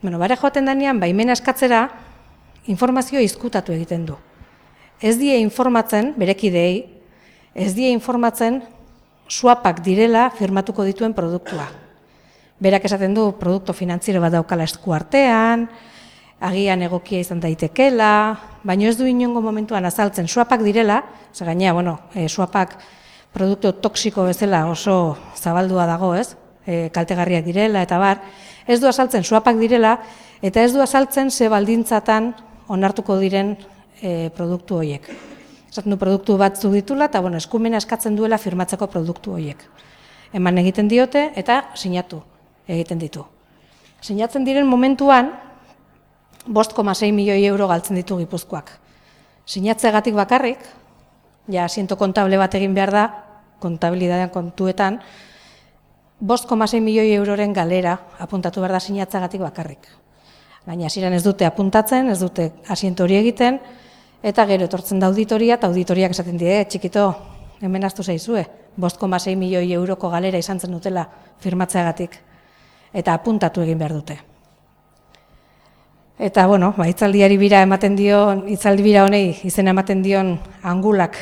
Bueno, bare joaten danean baimena eskatzera, informazio izkutatu egiten du. Ez die informatzen, berekideei, ez die informatzen swapak direla firmatuko dituen produktua. Berak esaten du produktu finantziero bat daukala esku artean, agian egokia izan daitekela, baina ez du inongo momentuan azaltzen swapak direla, ze gainea, bueno, e, swapak produktu toksiko bezala oso zabaldua dago, ez? E, kaltegarriak direla eta bar, ez du azaltzen swapak direla, eta ez du azaltzen ze baldintzatan onartuko diren e, produktu horiek. Esaten du produktu batzuk ditula, eta bueno, eskumena eskatzen duela firmatzeko produktu horiek. Eman egiten diote eta sinatu egiten ditu. Sinatzen diren momentuan, bost koma sei milioi euro galtzen ditu Gipuzkoak. Sinatzegatik bakarrik, ja asiento kontable bat egin behar da, kontabilidadean kontuetan, bost koma sei milioi euroren galera apuntatu behar da sinatzegatik bakarrik. Baina hasieran ez dute apuntatzen, ez dute asiento hori egiten, eta gero etortzen da auditoria, eta auditoriak esaten die, txikito, hemen aztu zaizue, bost koma sei milioi euroko galera izan zen dutela firmatzeagatik, eta apuntatu egin behar dute. Eta, bueno, ba, hitzaldiari bira ematen dion, hitzaldi bira honei izena ematen dion angulak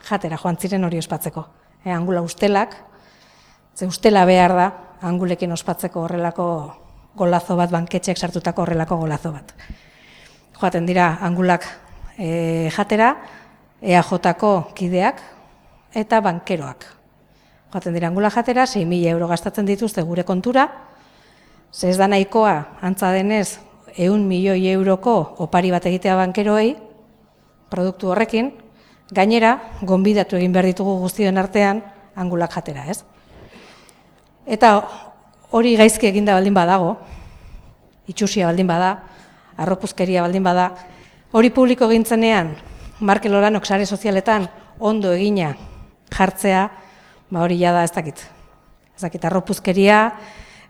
jatera joan ziren hori ospatzeko. E, angula ustelak, ze ustela behar da, angulekin ospatzeko horrelako golazo bat, banketxeak sartutako horrelako golazo bat. Joaten dira angulak e, jatera, E A Jko kideak eta bankeroak. Joaten dira angula jatera, sei mila euro gastatzen dituzte gure kontura, ze ez da nahikoa, antza denez, ehun milioi euroko opari bat egitea bankeroei, produktu horrekin, gainera, gonbidatu egin behar ditugu guztien artean, angulak jatera, ez? Eta hori gaizki eginda baldin badago, itxusia baldin bada, arropuzkeria baldin bada, hori publiko egintzenean, Markel Olanok sare sozialetan ondo egina jartzea, ba hori jada ez dakit. Ez dakit arropuzkeria,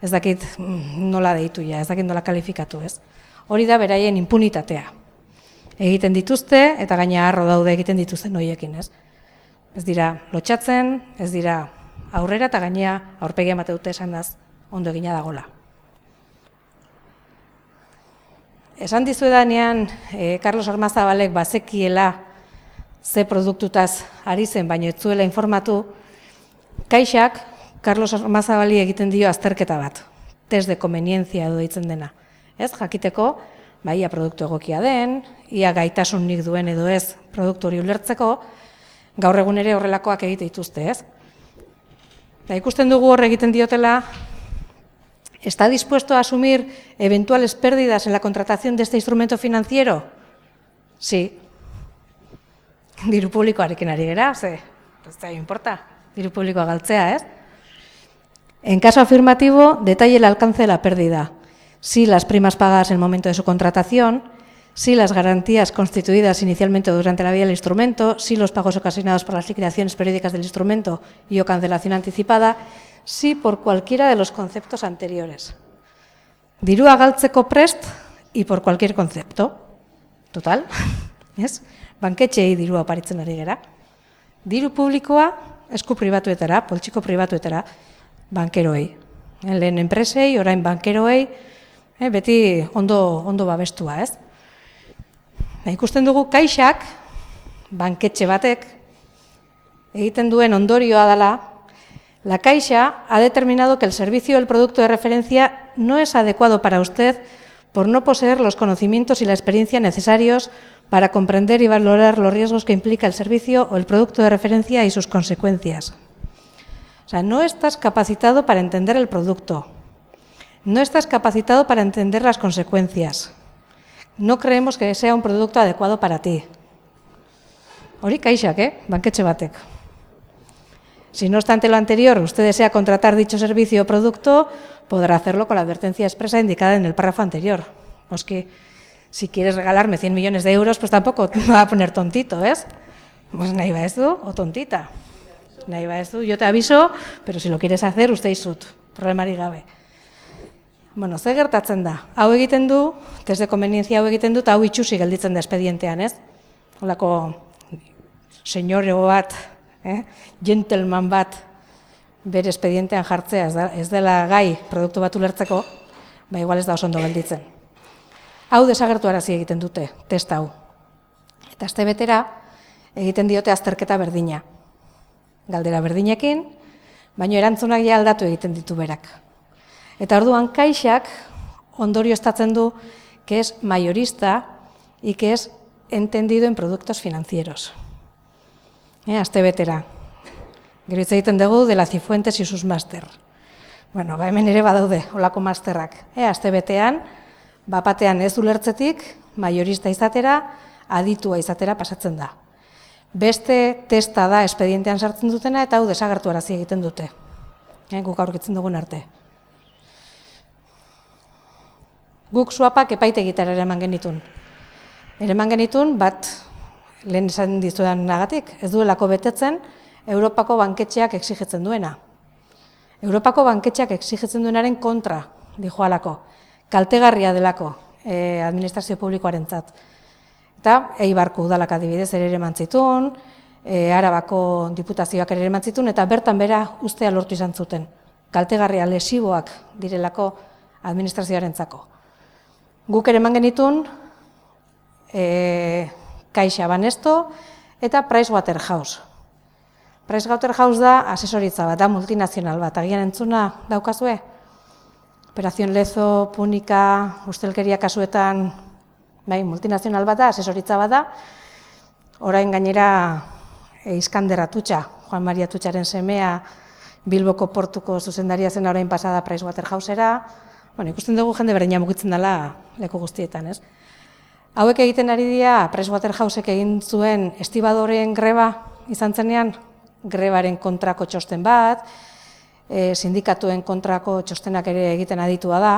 ez dakit nola deitu ja, ez dakit nola kalifikatu, ez? Hori da beraien impunitatea. Egiten dituzte eta gaina harro daude egiten dituzten horiekin, ez? Ez dira lotxatzen, ez dira aurrera eta gainea aurpegia emate dute esanaz ondo egina dagola. Esan dizuedanean, eh, Carlos Ormazabalek bazekiela ze produktutaz ari zen, baina ez zuela informatu, Kaixak Carlos Ormazabali egiten dio azterketa bat, test de conveniencia edo deitzen dena. Ez, jakiteko, ba, ia produktu egokia den, ia gaitasunik duen edo ez produktu hori ulertzeko, gaur egun ere horrelakoak egite dituzte, ez? Da, ikusten dugu hor egiten diotela, ¿está dispuesto a asumir eventuales pérdidas en la contratación de este instrumento financiero? Sí. Diru publikoarekin ari gera, ze, ez da importa, diru publikoa galtzea, ez? En caso afirmativo, detalle el alcance de la pérdida. Si las primas pagadas en el momento de su contratación, si las garantías constituidas inicialmente o durante la vida del instrumento, si los pagos ocasionados por las liquidaciones periódicas del instrumento y o cancelación anticipada, si por cualquiera de los conceptos anteriores. Dirua galtzeko prest y por cualquier concepto. Total, ez? Banketxeei dirua oparitzen ari gera. Diru publikoa esku pribatuetara, poltsiko pribatuetara, bankeroei. Lehen enpresei, orain bankeroei, eh, beti ondo, ondo babestua, ez? Na, ikusten dugu kaixak, banketxe batek, egiten duen ondorioa dela, la Caixa ha determinado que el servicio o el producto de referencia no es adecuado para usted por no poseer los conocimientos y la experiencia necesarios para comprender y valorar los riesgos que implica el servicio o el producto de referencia y sus consecuencias. O sea, no estás capacitado para entender el producto, no estás capacitado para entender las consecuencias. No creemos que sea un producto adecuado para ti. Hori kaixak, eh? Banketxe batek. Si no obstante lo anterior, usted desea contratar dicho servicio o producto, podrá hacerlo con la advertencia expresa indicada en el párrafo anterior. Pues que si quieres regalarme cien millones de euros, pues tampoco te va a poner tontito, ¿ves? Pues nahi ba ez du, o tontita. Nahi ba ez du, yo te aviso, pero si lo quieres hacer, usted izut, problemari gabe. Bueno, ze gertatzen da? Hau egiten du, test de conveniencia hau egiten du, eta hau itxusi gelditzen da espedientean, ez? Holako señoreo bat, eh? Gentleman bat, bere espedientean jartzea, ez, da, ez dela gai produktu bat ulertzeko, ba igual ez da oso ondo gelditzen. Hau desagertu arazi egiten dute, test hau. Eta aste betera egiten diote azterketa berdina. Galdera berdinekin, baino erantzunak ja aldatu egiten ditu berak. Eta orduan kaixak ondorioztatzen du que es mayorista y que es entendido en productos financieros. Eh, aste betera. Gero hitz egiten dugu de la Cifuentes y sus máster. Bueno, ba hemen ere badaude holako masterrak. Eh, aste betean, bapatean ez ulertzetik, mayorista izatera, aditua izatera pasatzen da. Beste testa da espedientean sartzen dutena eta hau desagertu arazi egiten dute. Eh, guk aurkitzen dugun arte. Guk suapak epaitegitara eraman genitun. Eraman genitun bat, lehen esan dizudan nagatik, ez duelako betetzen Europako banketxeak exigitzen duena. Europako banketxeak exigitzen duenaren kontra, dijoalako, kaltegarria delako eh, administrazio publikoarentzat. Eta Eibarko udalak adibidez ere eman zituen, e, Arabako diputazioak ere eman zituen, eta bertan bera ustea lortu izan zuten. Kaltegarria lesiboak direlako administrazioarentzako. Guk ere eman genitun, e, Caixa Banesto eta Pricewaterhouse. Pricewaterhouse da asesoritza bat, da multinazional bat, agian entzuna daukazue? Operación Lezo, Punika, ustelkeria kasuetan, bai, multinazional bat da, asesoritza bat da, orain gainera e, Iskander Atutxa, Juan Maria Atutxaren semea, Bilboko portuko zuzendaria zen orain pasada Pricewaterhousera, bueno, ikusten dugu jende berdina mugitzen dela leku guztietan, ez? Hauek egiten ari dira, Pricewaterhousek egin zuen estibadoreen greba izan zenean, grebaren kontrako txosten bat, e, sindikatuen kontrako txostenak ere egiten aditua da,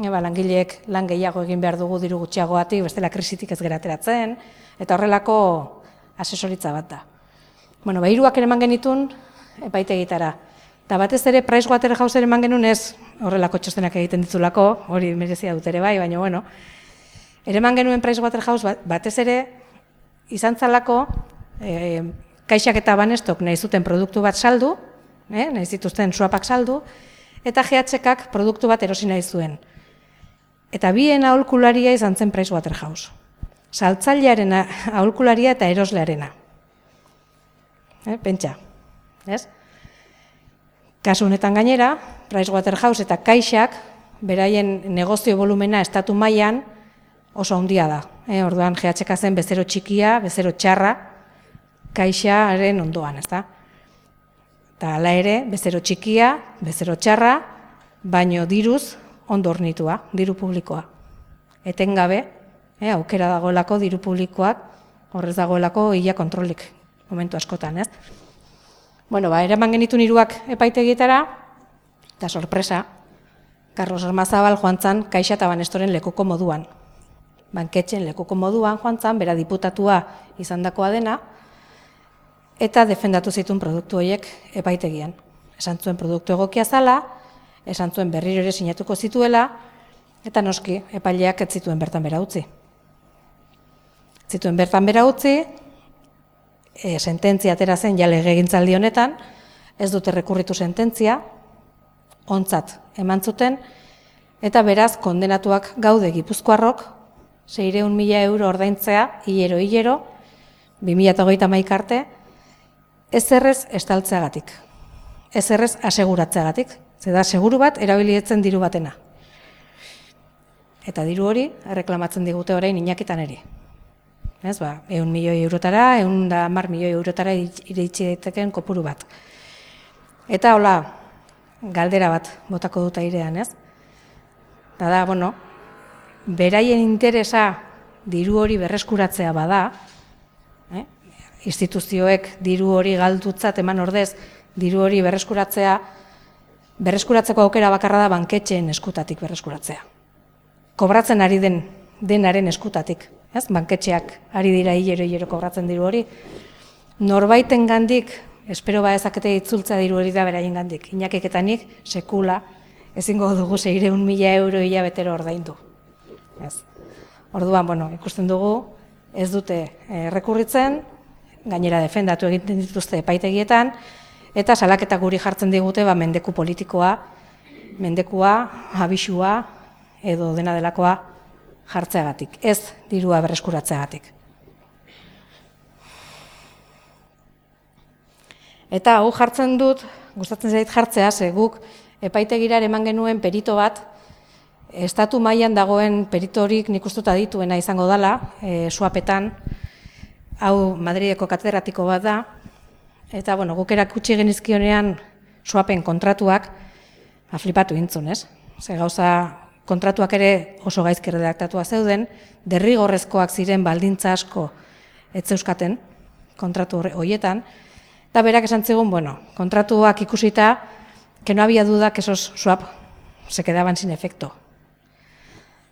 e, ba, langileek lan gehiago egin behar dugu diru gutxiagoatik, bestela krisitik ez gerateratzen, eta horrelako asesoritza bat da. Bueno, ba, hiruak ere eman genitun epaitegitara. Eta batez ere Pricewaterhouse ere eman genuen ez horrelako txostenak egiten ditulako, hori merezia dut ere bai, baina bueno, ere eman genuen Pricewaterhouse batez ere izan zalako, e, Kaixak eta Banestok nahi zuten produktu bat saldu, eh, nahi zituzten suapak saldu, eta G H K produktu bat erosi nahi zuen. Eta bien aholkularia izan zen Pricewaterhouse. Saltzailearen aholkularia eta eroslearena. Eh, pentsa, ez? Kasu honetan gainera, Pricewaterhouse eta Kaixak beraien negozio volumena estatu mailan oso handia da. Eh, orduan G H K zen bezero txikia, bezero txarra, Kaixaren ondoan, ezta? Eta hala ere, bezero txikia, bezero txarra, baino diruz ondo hornitua, diru publikoa. Etengabe, eh, aukera dagoelako diru publikoak, horrez dagoelako ia kontrolik momentu askotan, ez? Bueno, ba, eraman genitun hiruak epaitegietara, eta sorpresa, Carlos Ormazabal joan zan Caixa eta Banestoren lekuko moduan. banketxen lekuko moduan joan zan, bera diputatua izandakoa dena, eta defendatu zituen produktu horiek epaitegian. Esan zuen produktu egokia zala, esan zuen berriro ere sinatuko zituela, eta noski, epaileak ez zituen bertan bera utzi. Zituen bertan bera utzi, e, sententzia atera zen ja legegintzaldi honetan, ez dute rekurritu sententzia, ontzat eman zuten, eta beraz kondenatuak gaude Gipuzkoarrok, seiehun mila euro ordaintzea, hilero-hilero, bi mila hogeita hamaika arte, ez errez estaltzeagatik, ez errez aseguratzeagatik, ze da seguru bat erabilietzen diru batena. Eta diru hori erreklamatzen digute orain Iñakitan eri. Ez ba, ehun milioi eurotara, ehun da hamar milioi eurotara iritsi daiteken kopuru bat. Eta hola, galdera bat botako dut airean, ez? Da da, bueno, beraien interesa diru hori berreskuratzea bada, eh? instituzioek diru hori galdutzat eman ordez, diru hori berreskuratzea, berreskuratzeko aukera bakarra da banketxeen eskutatik berreskuratzea. Kobratzen ari den denaren eskutatik, ez? Banketxeak ari dira hilero-hilero kobratzen diru hori. Norbaiten gandik, espero ba ezakete itzultzea diru hori da beraien gandik. Iñakik eta nik sekula ezingo dugu seiehun mila euro hilabetero ordaindu. Ez. Orduan, bueno, ikusten dugu ez dute errekurritzen, gainera defendatu egiten dituzte epaitegietan, eta salaketa guri jartzen digute ba, mendeku politikoa, mendekua, abisua, edo dena delakoa jartzeagatik, ez dirua berreskuratzeagatik. Eta hau jartzen dut, gustatzen zait jartzea, ze guk epaitegira eman genuen perito bat, estatu mailan dagoen peritorik nik uste dut adituena izango dela, e, suapetan, hau Madrideko katedratiko bat da, eta bueno, guk erakutsi genizkionean suapen kontratuak, flipatu intzun, ez? Ze gauza kontratuak ere oso gaizki redaktatua zeuden, derrigorrezkoak ziren baldintza asko ez zeuskaten kontratu horietan, eta berak esan zigun, bueno, kontratuak ikusita, que no había duda que esos swap se quedaban sin efecto.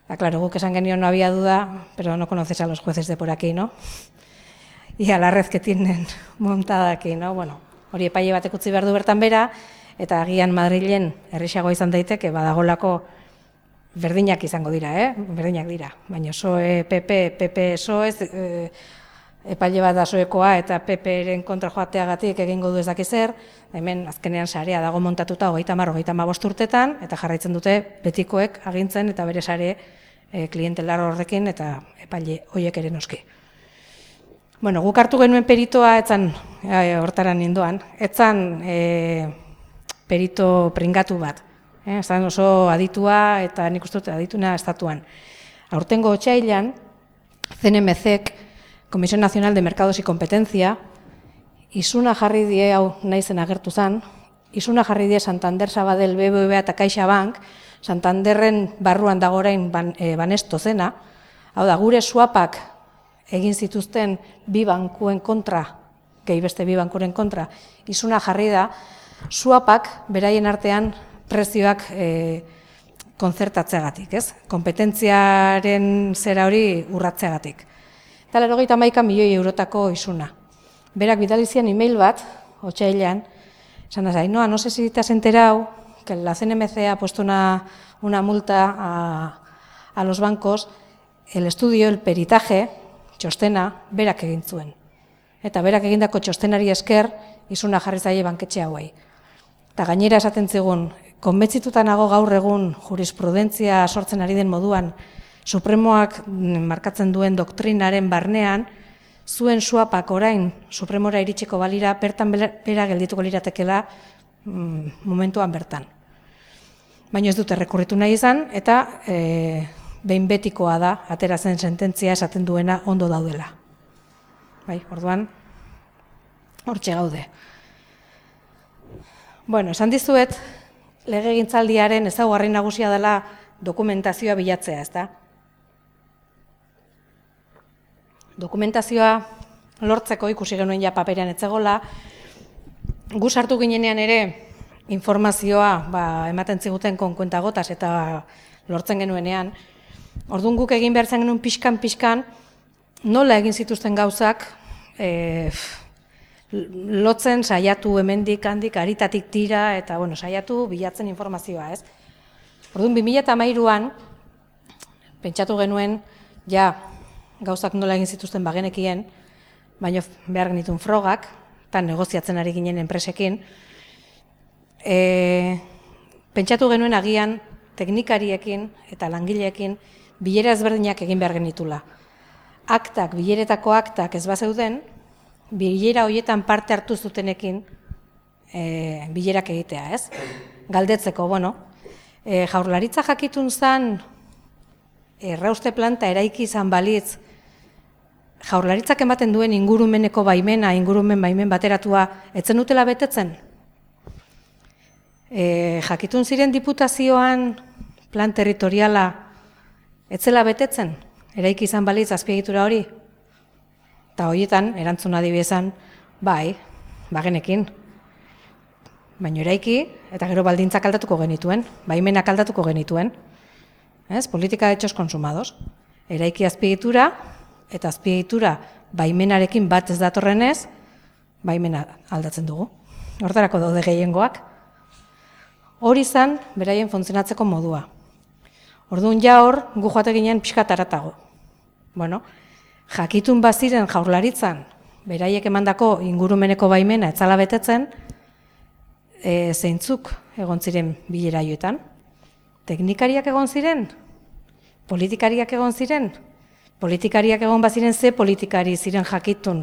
Ah, claro, guk esan genio no había duda, pero no conoces a los jueces de por aquí, ¿no? Y a la red que tienen montada aquí, ¿no? Bueno, hori epaile batek utzi behar du bertan bera, eta agian Madrilen errixagoa izan daiteke, badagolako berdinak izango dira, eh? Berdinak dira. Baina P S O E, P P, P P, P S O E, eh, epaile bat da P S O E-koa eta P P-ren kontra joateagatik egingo du ez dakiz zer, hemen azkenean sarea dago montatuta hogeita hamar, hogeita hamabost urtetan, eta jarraitzen dute betikoek agintzen eta bere sare e, klientelar horrekin eta epaile horiek ere noski. Bueno, guk hartu genuen peritoa, etzan, e, hortaran nindoan, etzan e, perito pringatu bat. Eh, Ezan oso aditua eta nik uste dut adituna estatuan. Aurtengo otsailean, C N M C-ek, Comisión Nacional de Mercados y Competencia, isuna jarri die, hau naizen agertu zen, isuna jarri die Santander Sabadell B B V A eta CaixaBank, Santanderren barruan dago orain ban, e, banesto zena, hau da, gure swapak egin zituzten bi bankuen kontra, gehi beste bi bankuren kontra, isuna jarri da, swapak beraien artean prezioak e, konzertatzeagatik, ez? Kompetentziaren zera hori urratzeagatik. Eta laurogeita hamaika milioi eurotako isuna. Berak bidali zian email bat, otsailean, esan da, no, no sé si te has enterado que la C N M C ha puesto una, una multa a, a los bancos, el estudio, el peritaje, txostena, berak egin zuen. Eta berak egindako txostenari esker, isuna jarri zaie banketxe hauei. Eta gainera esaten zigun, konbentzituta nago gaur egun jurisprudentzia sortzen ari den moduan, Supremoak markatzen duen doktrinaren barnean, zuen suapak orain Supremora iritsiko balira, bertan bera geldituko liratekela mm, momentuan bertan. Baina ez dute rekurritu nahi izan, eta e, behin betikoa da, atera zen sententzia esaten duena ondo daudela. Bai, orduan, hortxe gaude. Bueno, esan dizuet, legegintzaldiaren ezaugarri nagusia dela dokumentazioa bilatzea, ezta? Dokumentazioa lortzeko ikusi genuen ja paperean etzegola, gu sartu ginenean ere informazioa ba, ematen ziguten konkuentagotas eta lortzen genuenean, Orduan guk egin behar zen genuen pixkan-pixkan, nola egin zituzten gauzak, e, lotzen saiatu hemendik handik aritatik tira eta bueno, saiatu bilatzen informazioa, ez? Orduan bi mila hamairuan pentsatu genuen ja gauzak nola egin zituzten bagenekien, baina behar genituen frogak, eta negoziatzen ari ginen enpresekin. E, pentsatu genuen agian teknikariekin eta langileekin bilera ezberdinak egin behar genitula. Aktak, bileretako aktak ez bazeuden, bilera horietan parte hartu zutenekin e, bilerak egitea, ez? Galdetzeko, bueno, e, Jaurlaritza jakitun zan errauste planta eraiki izan balitz, Jaurlaritzak ematen duen ingurumeneko baimena, ingurumen baimen bateratua, etzen dutela betetzen? E, jakitun ziren diputazioan plan territoriala etzela betetzen? Eraiki izan balitz azpiegitura hori? Eta horietan, erantzuna adibidezan, bai, bagenekin. Baina eraiki, eta gero baldintzak aldatuko genituen, baimenak aldatuko genituen. Ez? Politika de hechos consumados. Eraiki azpiegitura, eta azpiegitura baimenarekin bat ez datorrenez, baimena aldatzen dugu. Hortarako daude gehiengoak. Hori izan, beraien funtzionatzeko modua. Orduan ja hor, gu joate ginen pixkat haratago. Bueno, jakitun baziren Jaurlaritzan, beraiek emandako ingurumeneko baimena etzala betetzen, e, zeintzuk egon ziren bilera joetan. Teknikariak egon ziren? Politikariak egon ziren? Politikariak egon baziren ze politikari ziren jakitun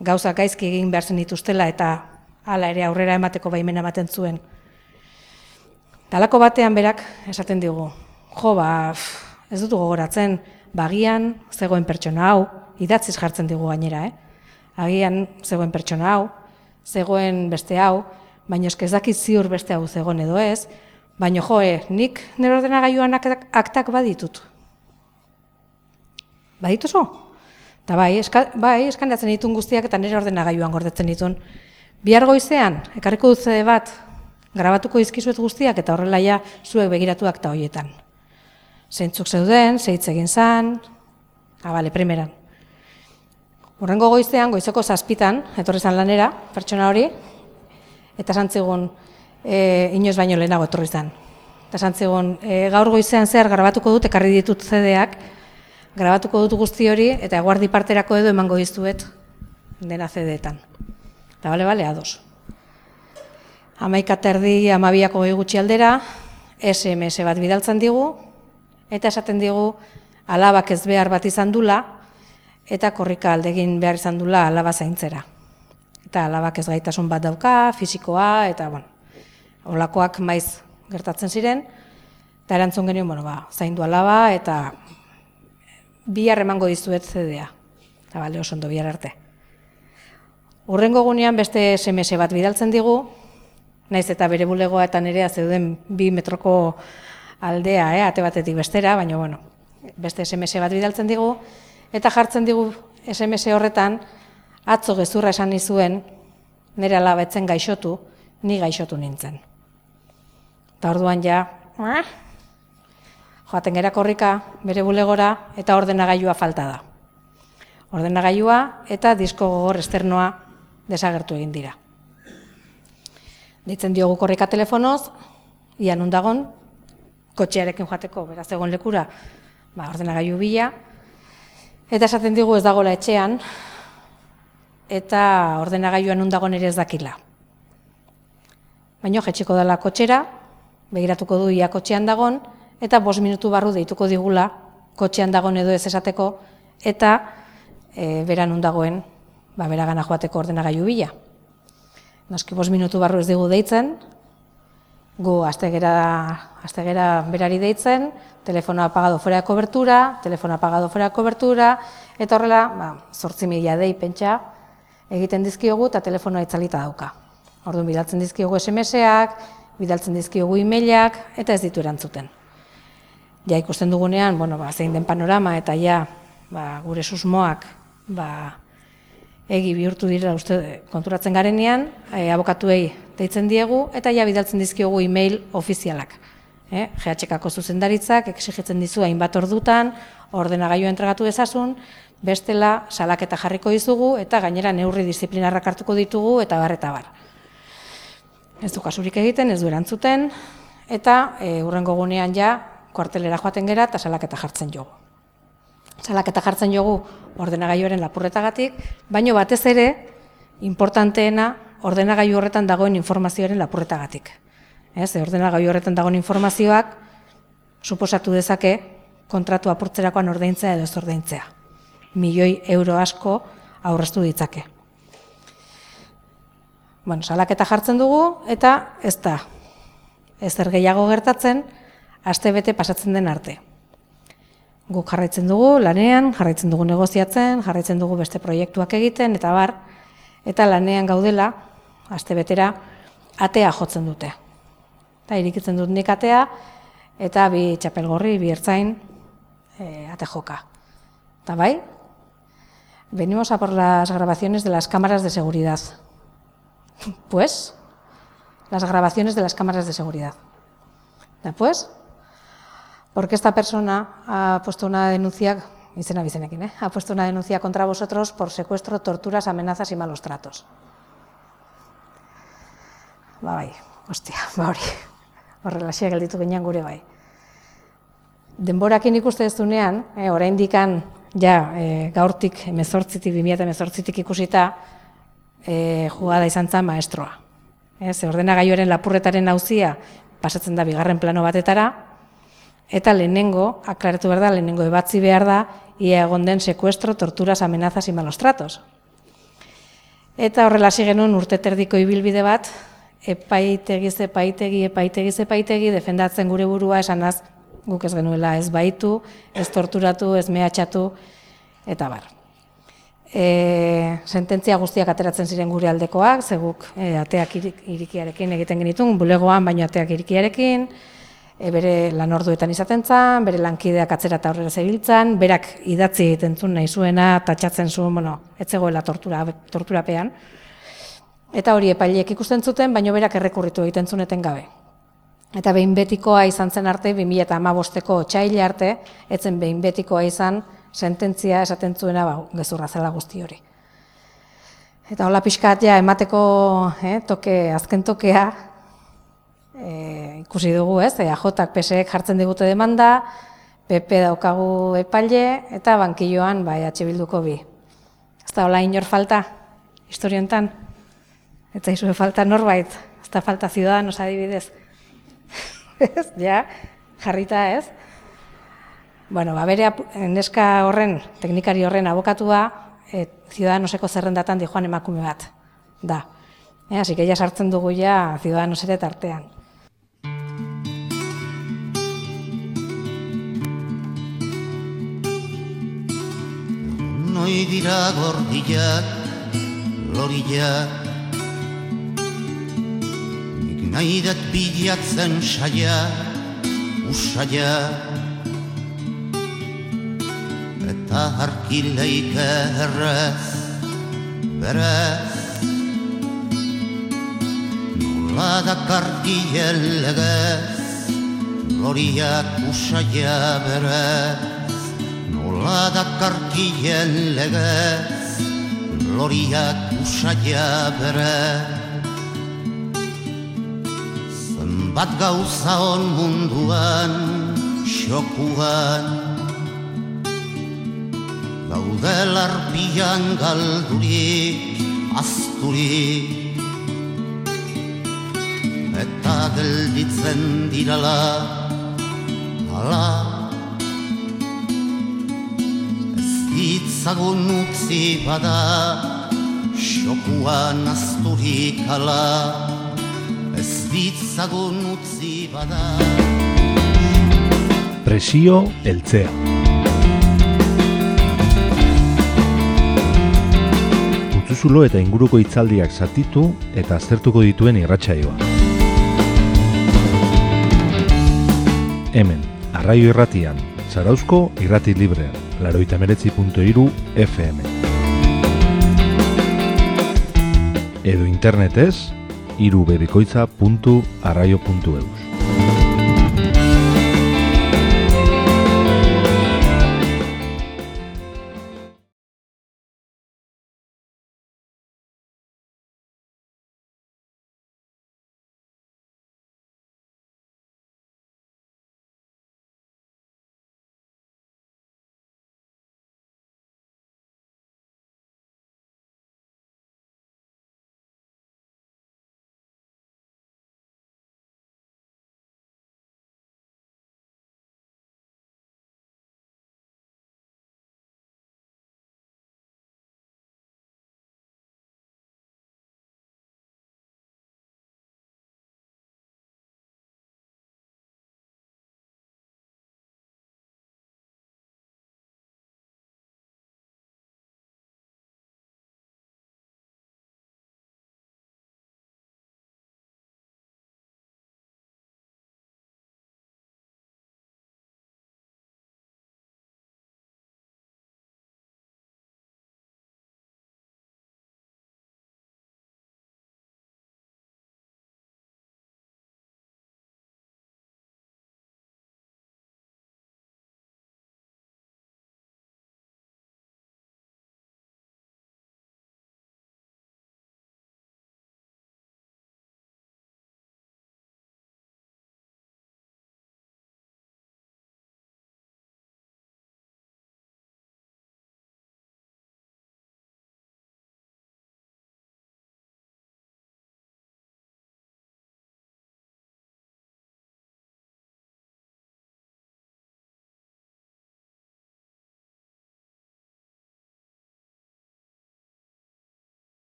gauzak gaizki egin behar zen dituztela eta hala ere aurrera emateko baimena ematen zuen. Talako batean berak esaten digu, jo ba, ez dut gogoratzen, bagian zegoen pertsona hau, idatziz jartzen digu gainera, eh? Agian zegoen pertsona hau, zegoen beste hau, baina eske ez dakit ziur beste hau zegoen edo ez, baina joe, nik nire ordenagailuan aktak baditut. Badituzu? Eta bai, eska, bai, eskaneatzen ditun guztiak eta nire ordenagailuan gordetzen ditun. Bihar goizean, ekarriko dut zede bat, grabatuko dizkizuet guztiak eta horrela ja zuek begiratu akta horietan. Zeintzuk zeuden, zeitz egin zan, abale, primeran. Hurrengo goizean, goizeko zazpitan, etorri zan lanera, pertsona hori, eta santzigun, e, inoz baino lehenago etorri zan. Eta santzigun, e, gaur goizean zer grabatuko dut, ekarri ditut zedeak, grabatuko dut guzti hori, eta eguardi parterako edo emango dizuet dena zedeetan. Eta bale, bale, ados. Hamaika terdi, hamabiako gehi gutxi aldera, S M S bat bidaltzen digu, eta esaten digu alabak ez behar bat izan dula, eta korrika aldegin behar izan dula alaba zaintzera. Eta alabak ez gaitasun bat dauka, fisikoa, eta bueno, holakoak maiz gertatzen ziren, eta erantzun genuen, bueno, ba, zaindu alaba, eta bihar emango dizuet zedea. Eta bale, oso ondo bihar arte. Hurrengo gunean beste S M S bat bidaltzen digu, naiz eta bere bulegoa eta nerea zeuden bi metroko aldea, eh, ate batetik bestera, baina bueno, beste S M S bat bidaltzen digu, eta jartzen digu S M S horretan, atzo gezurra esan nizuen, nire alaba etzen gaixotu, ni gaixotu nintzen. Eta orduan ja, eh? Joaten gera korrika bere bulegora, eta ordenagailua falta da. Ordenagailua eta disko gogor esternoa desagertu egin dira. Deitzen diogu korrika telefonoz, ia nun dagon, kotxearekin joateko, beraz egon lekura, ba, ordenagailu bila, eta esaten digu ez dagoela etxean, eta ordenagailua nun dagon ere ez dakila. Baina jetxiko dela kotxera, begiratuko du ia kotxean dagon, eta bost minutu barru deituko digula, kotxean dagon edo ez esateko, eta e, bera nun dagoen, ba, bera gana joateko ordenagailu bila. Noski bost minutu barru ez digu deitzen, gu astegera, astegera berari deitzen, telefono apagado fuera de cobertura, telefono apagado fuera de cobertura, eta horrela, ba, zortzi mila dei pentsa egiten dizkiogu eta telefonoa itzalita dauka. Orduan bidaltzen dizkiogu S M S-ak, bidaltzen dizkiogu e-mailak, eta ez ditu erantzuten. Ja ikusten dugunean, bueno, ba, zein den panorama, eta ja ba, gure susmoak ba, egi bihurtu dira uste konturatzen garenean, e, abokatuei deitzen diegu, eta ja bidaltzen dizkiogu e-mail ofizialak. Eh, G H K-ko zuzendaritzak exigitzen dizu hainbat ordutan, ordenagailua entregatu dezazun, bestela salaketa jarriko dizugu eta gainera neurri disiplinarrak hartuko ditugu eta bar eta bar. Ez du kasurik egiten, ez du erantzuten, eta e, hurrengo gunean ja kuartelera joaten gera eta salaketa jartzen jogu. Salaketa jartzen jogu ordenagailuaren lapurretagatik, baino batez ere, importanteena ordenagailu horretan dagoen informazioaren lapurretagatik. Ez, ordenagailu horretan dagoen informazioak suposatu dezake kontratu apurtzerakoan ordaintzea edo ez ordaintzea. Milioi euro asko aurreztu ditzake. Bueno, salaketa jartzen dugu eta ez da ezer gehiago gertatzen astebete pasatzen den arte. Guk jarraitzen dugu lanean, jarraitzen dugu negoziatzen, jarraitzen dugu beste proiektuak egiten eta bar, eta lanean gaudela astebetera atea jotzen dute. Eta irikitzen dut nik atea eta bi txapelgorri, bi ertzain e, ate joka. Eta bai, venimos a por las grabaciones de las cámaras de seguridad. Pues, las grabaciones de las cámaras de seguridad. Después, porque esta persona ha puesto una denuncia, izena bizenekin, ¿eh? ha puesto una denuncia contra vosotros por secuestro, torturas, amenazas y malos tratos. Ba bai, ostia, ba hori, horrelaxia gelditu ginen gure bai. Denborakin ikuste ez dunean, eh, oraindikan ja eh, gaurtik hemezortzitik, bi mila hemezortzitik ikusita, E, jugada izan zen maestroa. Ez, ordenagailuaren lapurretaren auzia pasatzen da bigarren plano batetara, eta lehenengo, aklaratu behar da, lehenengo ebatzi behar da, ia egon den sekuestro, torturas, amenazas y malos tratos. Eta horrela hasi genuen urte terdiko ibilbide bat, epaitegiz, epaitegi, epaitegiz, epaitegi, defendatzen gure burua esanaz guk ez genuela ez baitu, ez torturatu, ez mehatxatu, eta bar. E, sententzia guztiak ateratzen ziren gure aldekoak, zeguk e, ateak irik, irikiarekin egiten genitun, bulegoan baino ateak irikiarekin, e, bere lanorduetan izaten zan, bere lankideak atzera eta aurrera zebiltzan, berak idatzi egiten zuen nahi zuena, tatxatzen zuen, bueno, ez zegoela tortura, torturapean. Eta hori epaileek ikusten zuten, baino berak errekurritu egiten zuen etengabe. Eta behin betikoa izan zen arte, bi mila hamabosteko otsaila arte, etzen behin betikoa izan, sententzia esaten zuena ba, gezurra zela guzti hori. Eta hola pixkat ja emateko eh, toke, azken tokea eh, ikusi dugu, ez? E A Jak P S ek jartzen digute demanda, P P daukagu epaile eta bankilloan ba, E H Bilduko bi. Ez da hola inor falta, historiontan? Eta izue falta norbait, ez da falta Ciudadanos adibidez. Ez, ja, jarrita ez? Bueno, ba, bere neska horren, teknikari horren abokatua, e, Ciudadanoseko zerrendatan di joan emakume bat, da. E, así que ja sartzen dugu ja Ciudadanos ere tartean. Noi dira gordiak, loriak, nik nahi dat bilatzen saia, usaia, eta harkileik errez, berez, nola dakarkien legez, loriak usaia berez, nola dakarkien legez, loriak usaia berez. Zenbat gauza on munduan, xokuan, gaude larpian galdurik, azturik, eta gelditzen dirala, ala, ez ditzagun utzi bada, xokuan azturik ala, ez ditzagun utzi bada. Presio heltzea. Zulo eta inguruko hitzaldiak zatitu eta aztertuko dituen irratsaioa. Hemen, Arraio Irratian, Zarauzko Irrati Librean, laurogeita hemeretzi puntu hiru F M. Edo internetez, irubebikoitza puntu arraio puntu eus.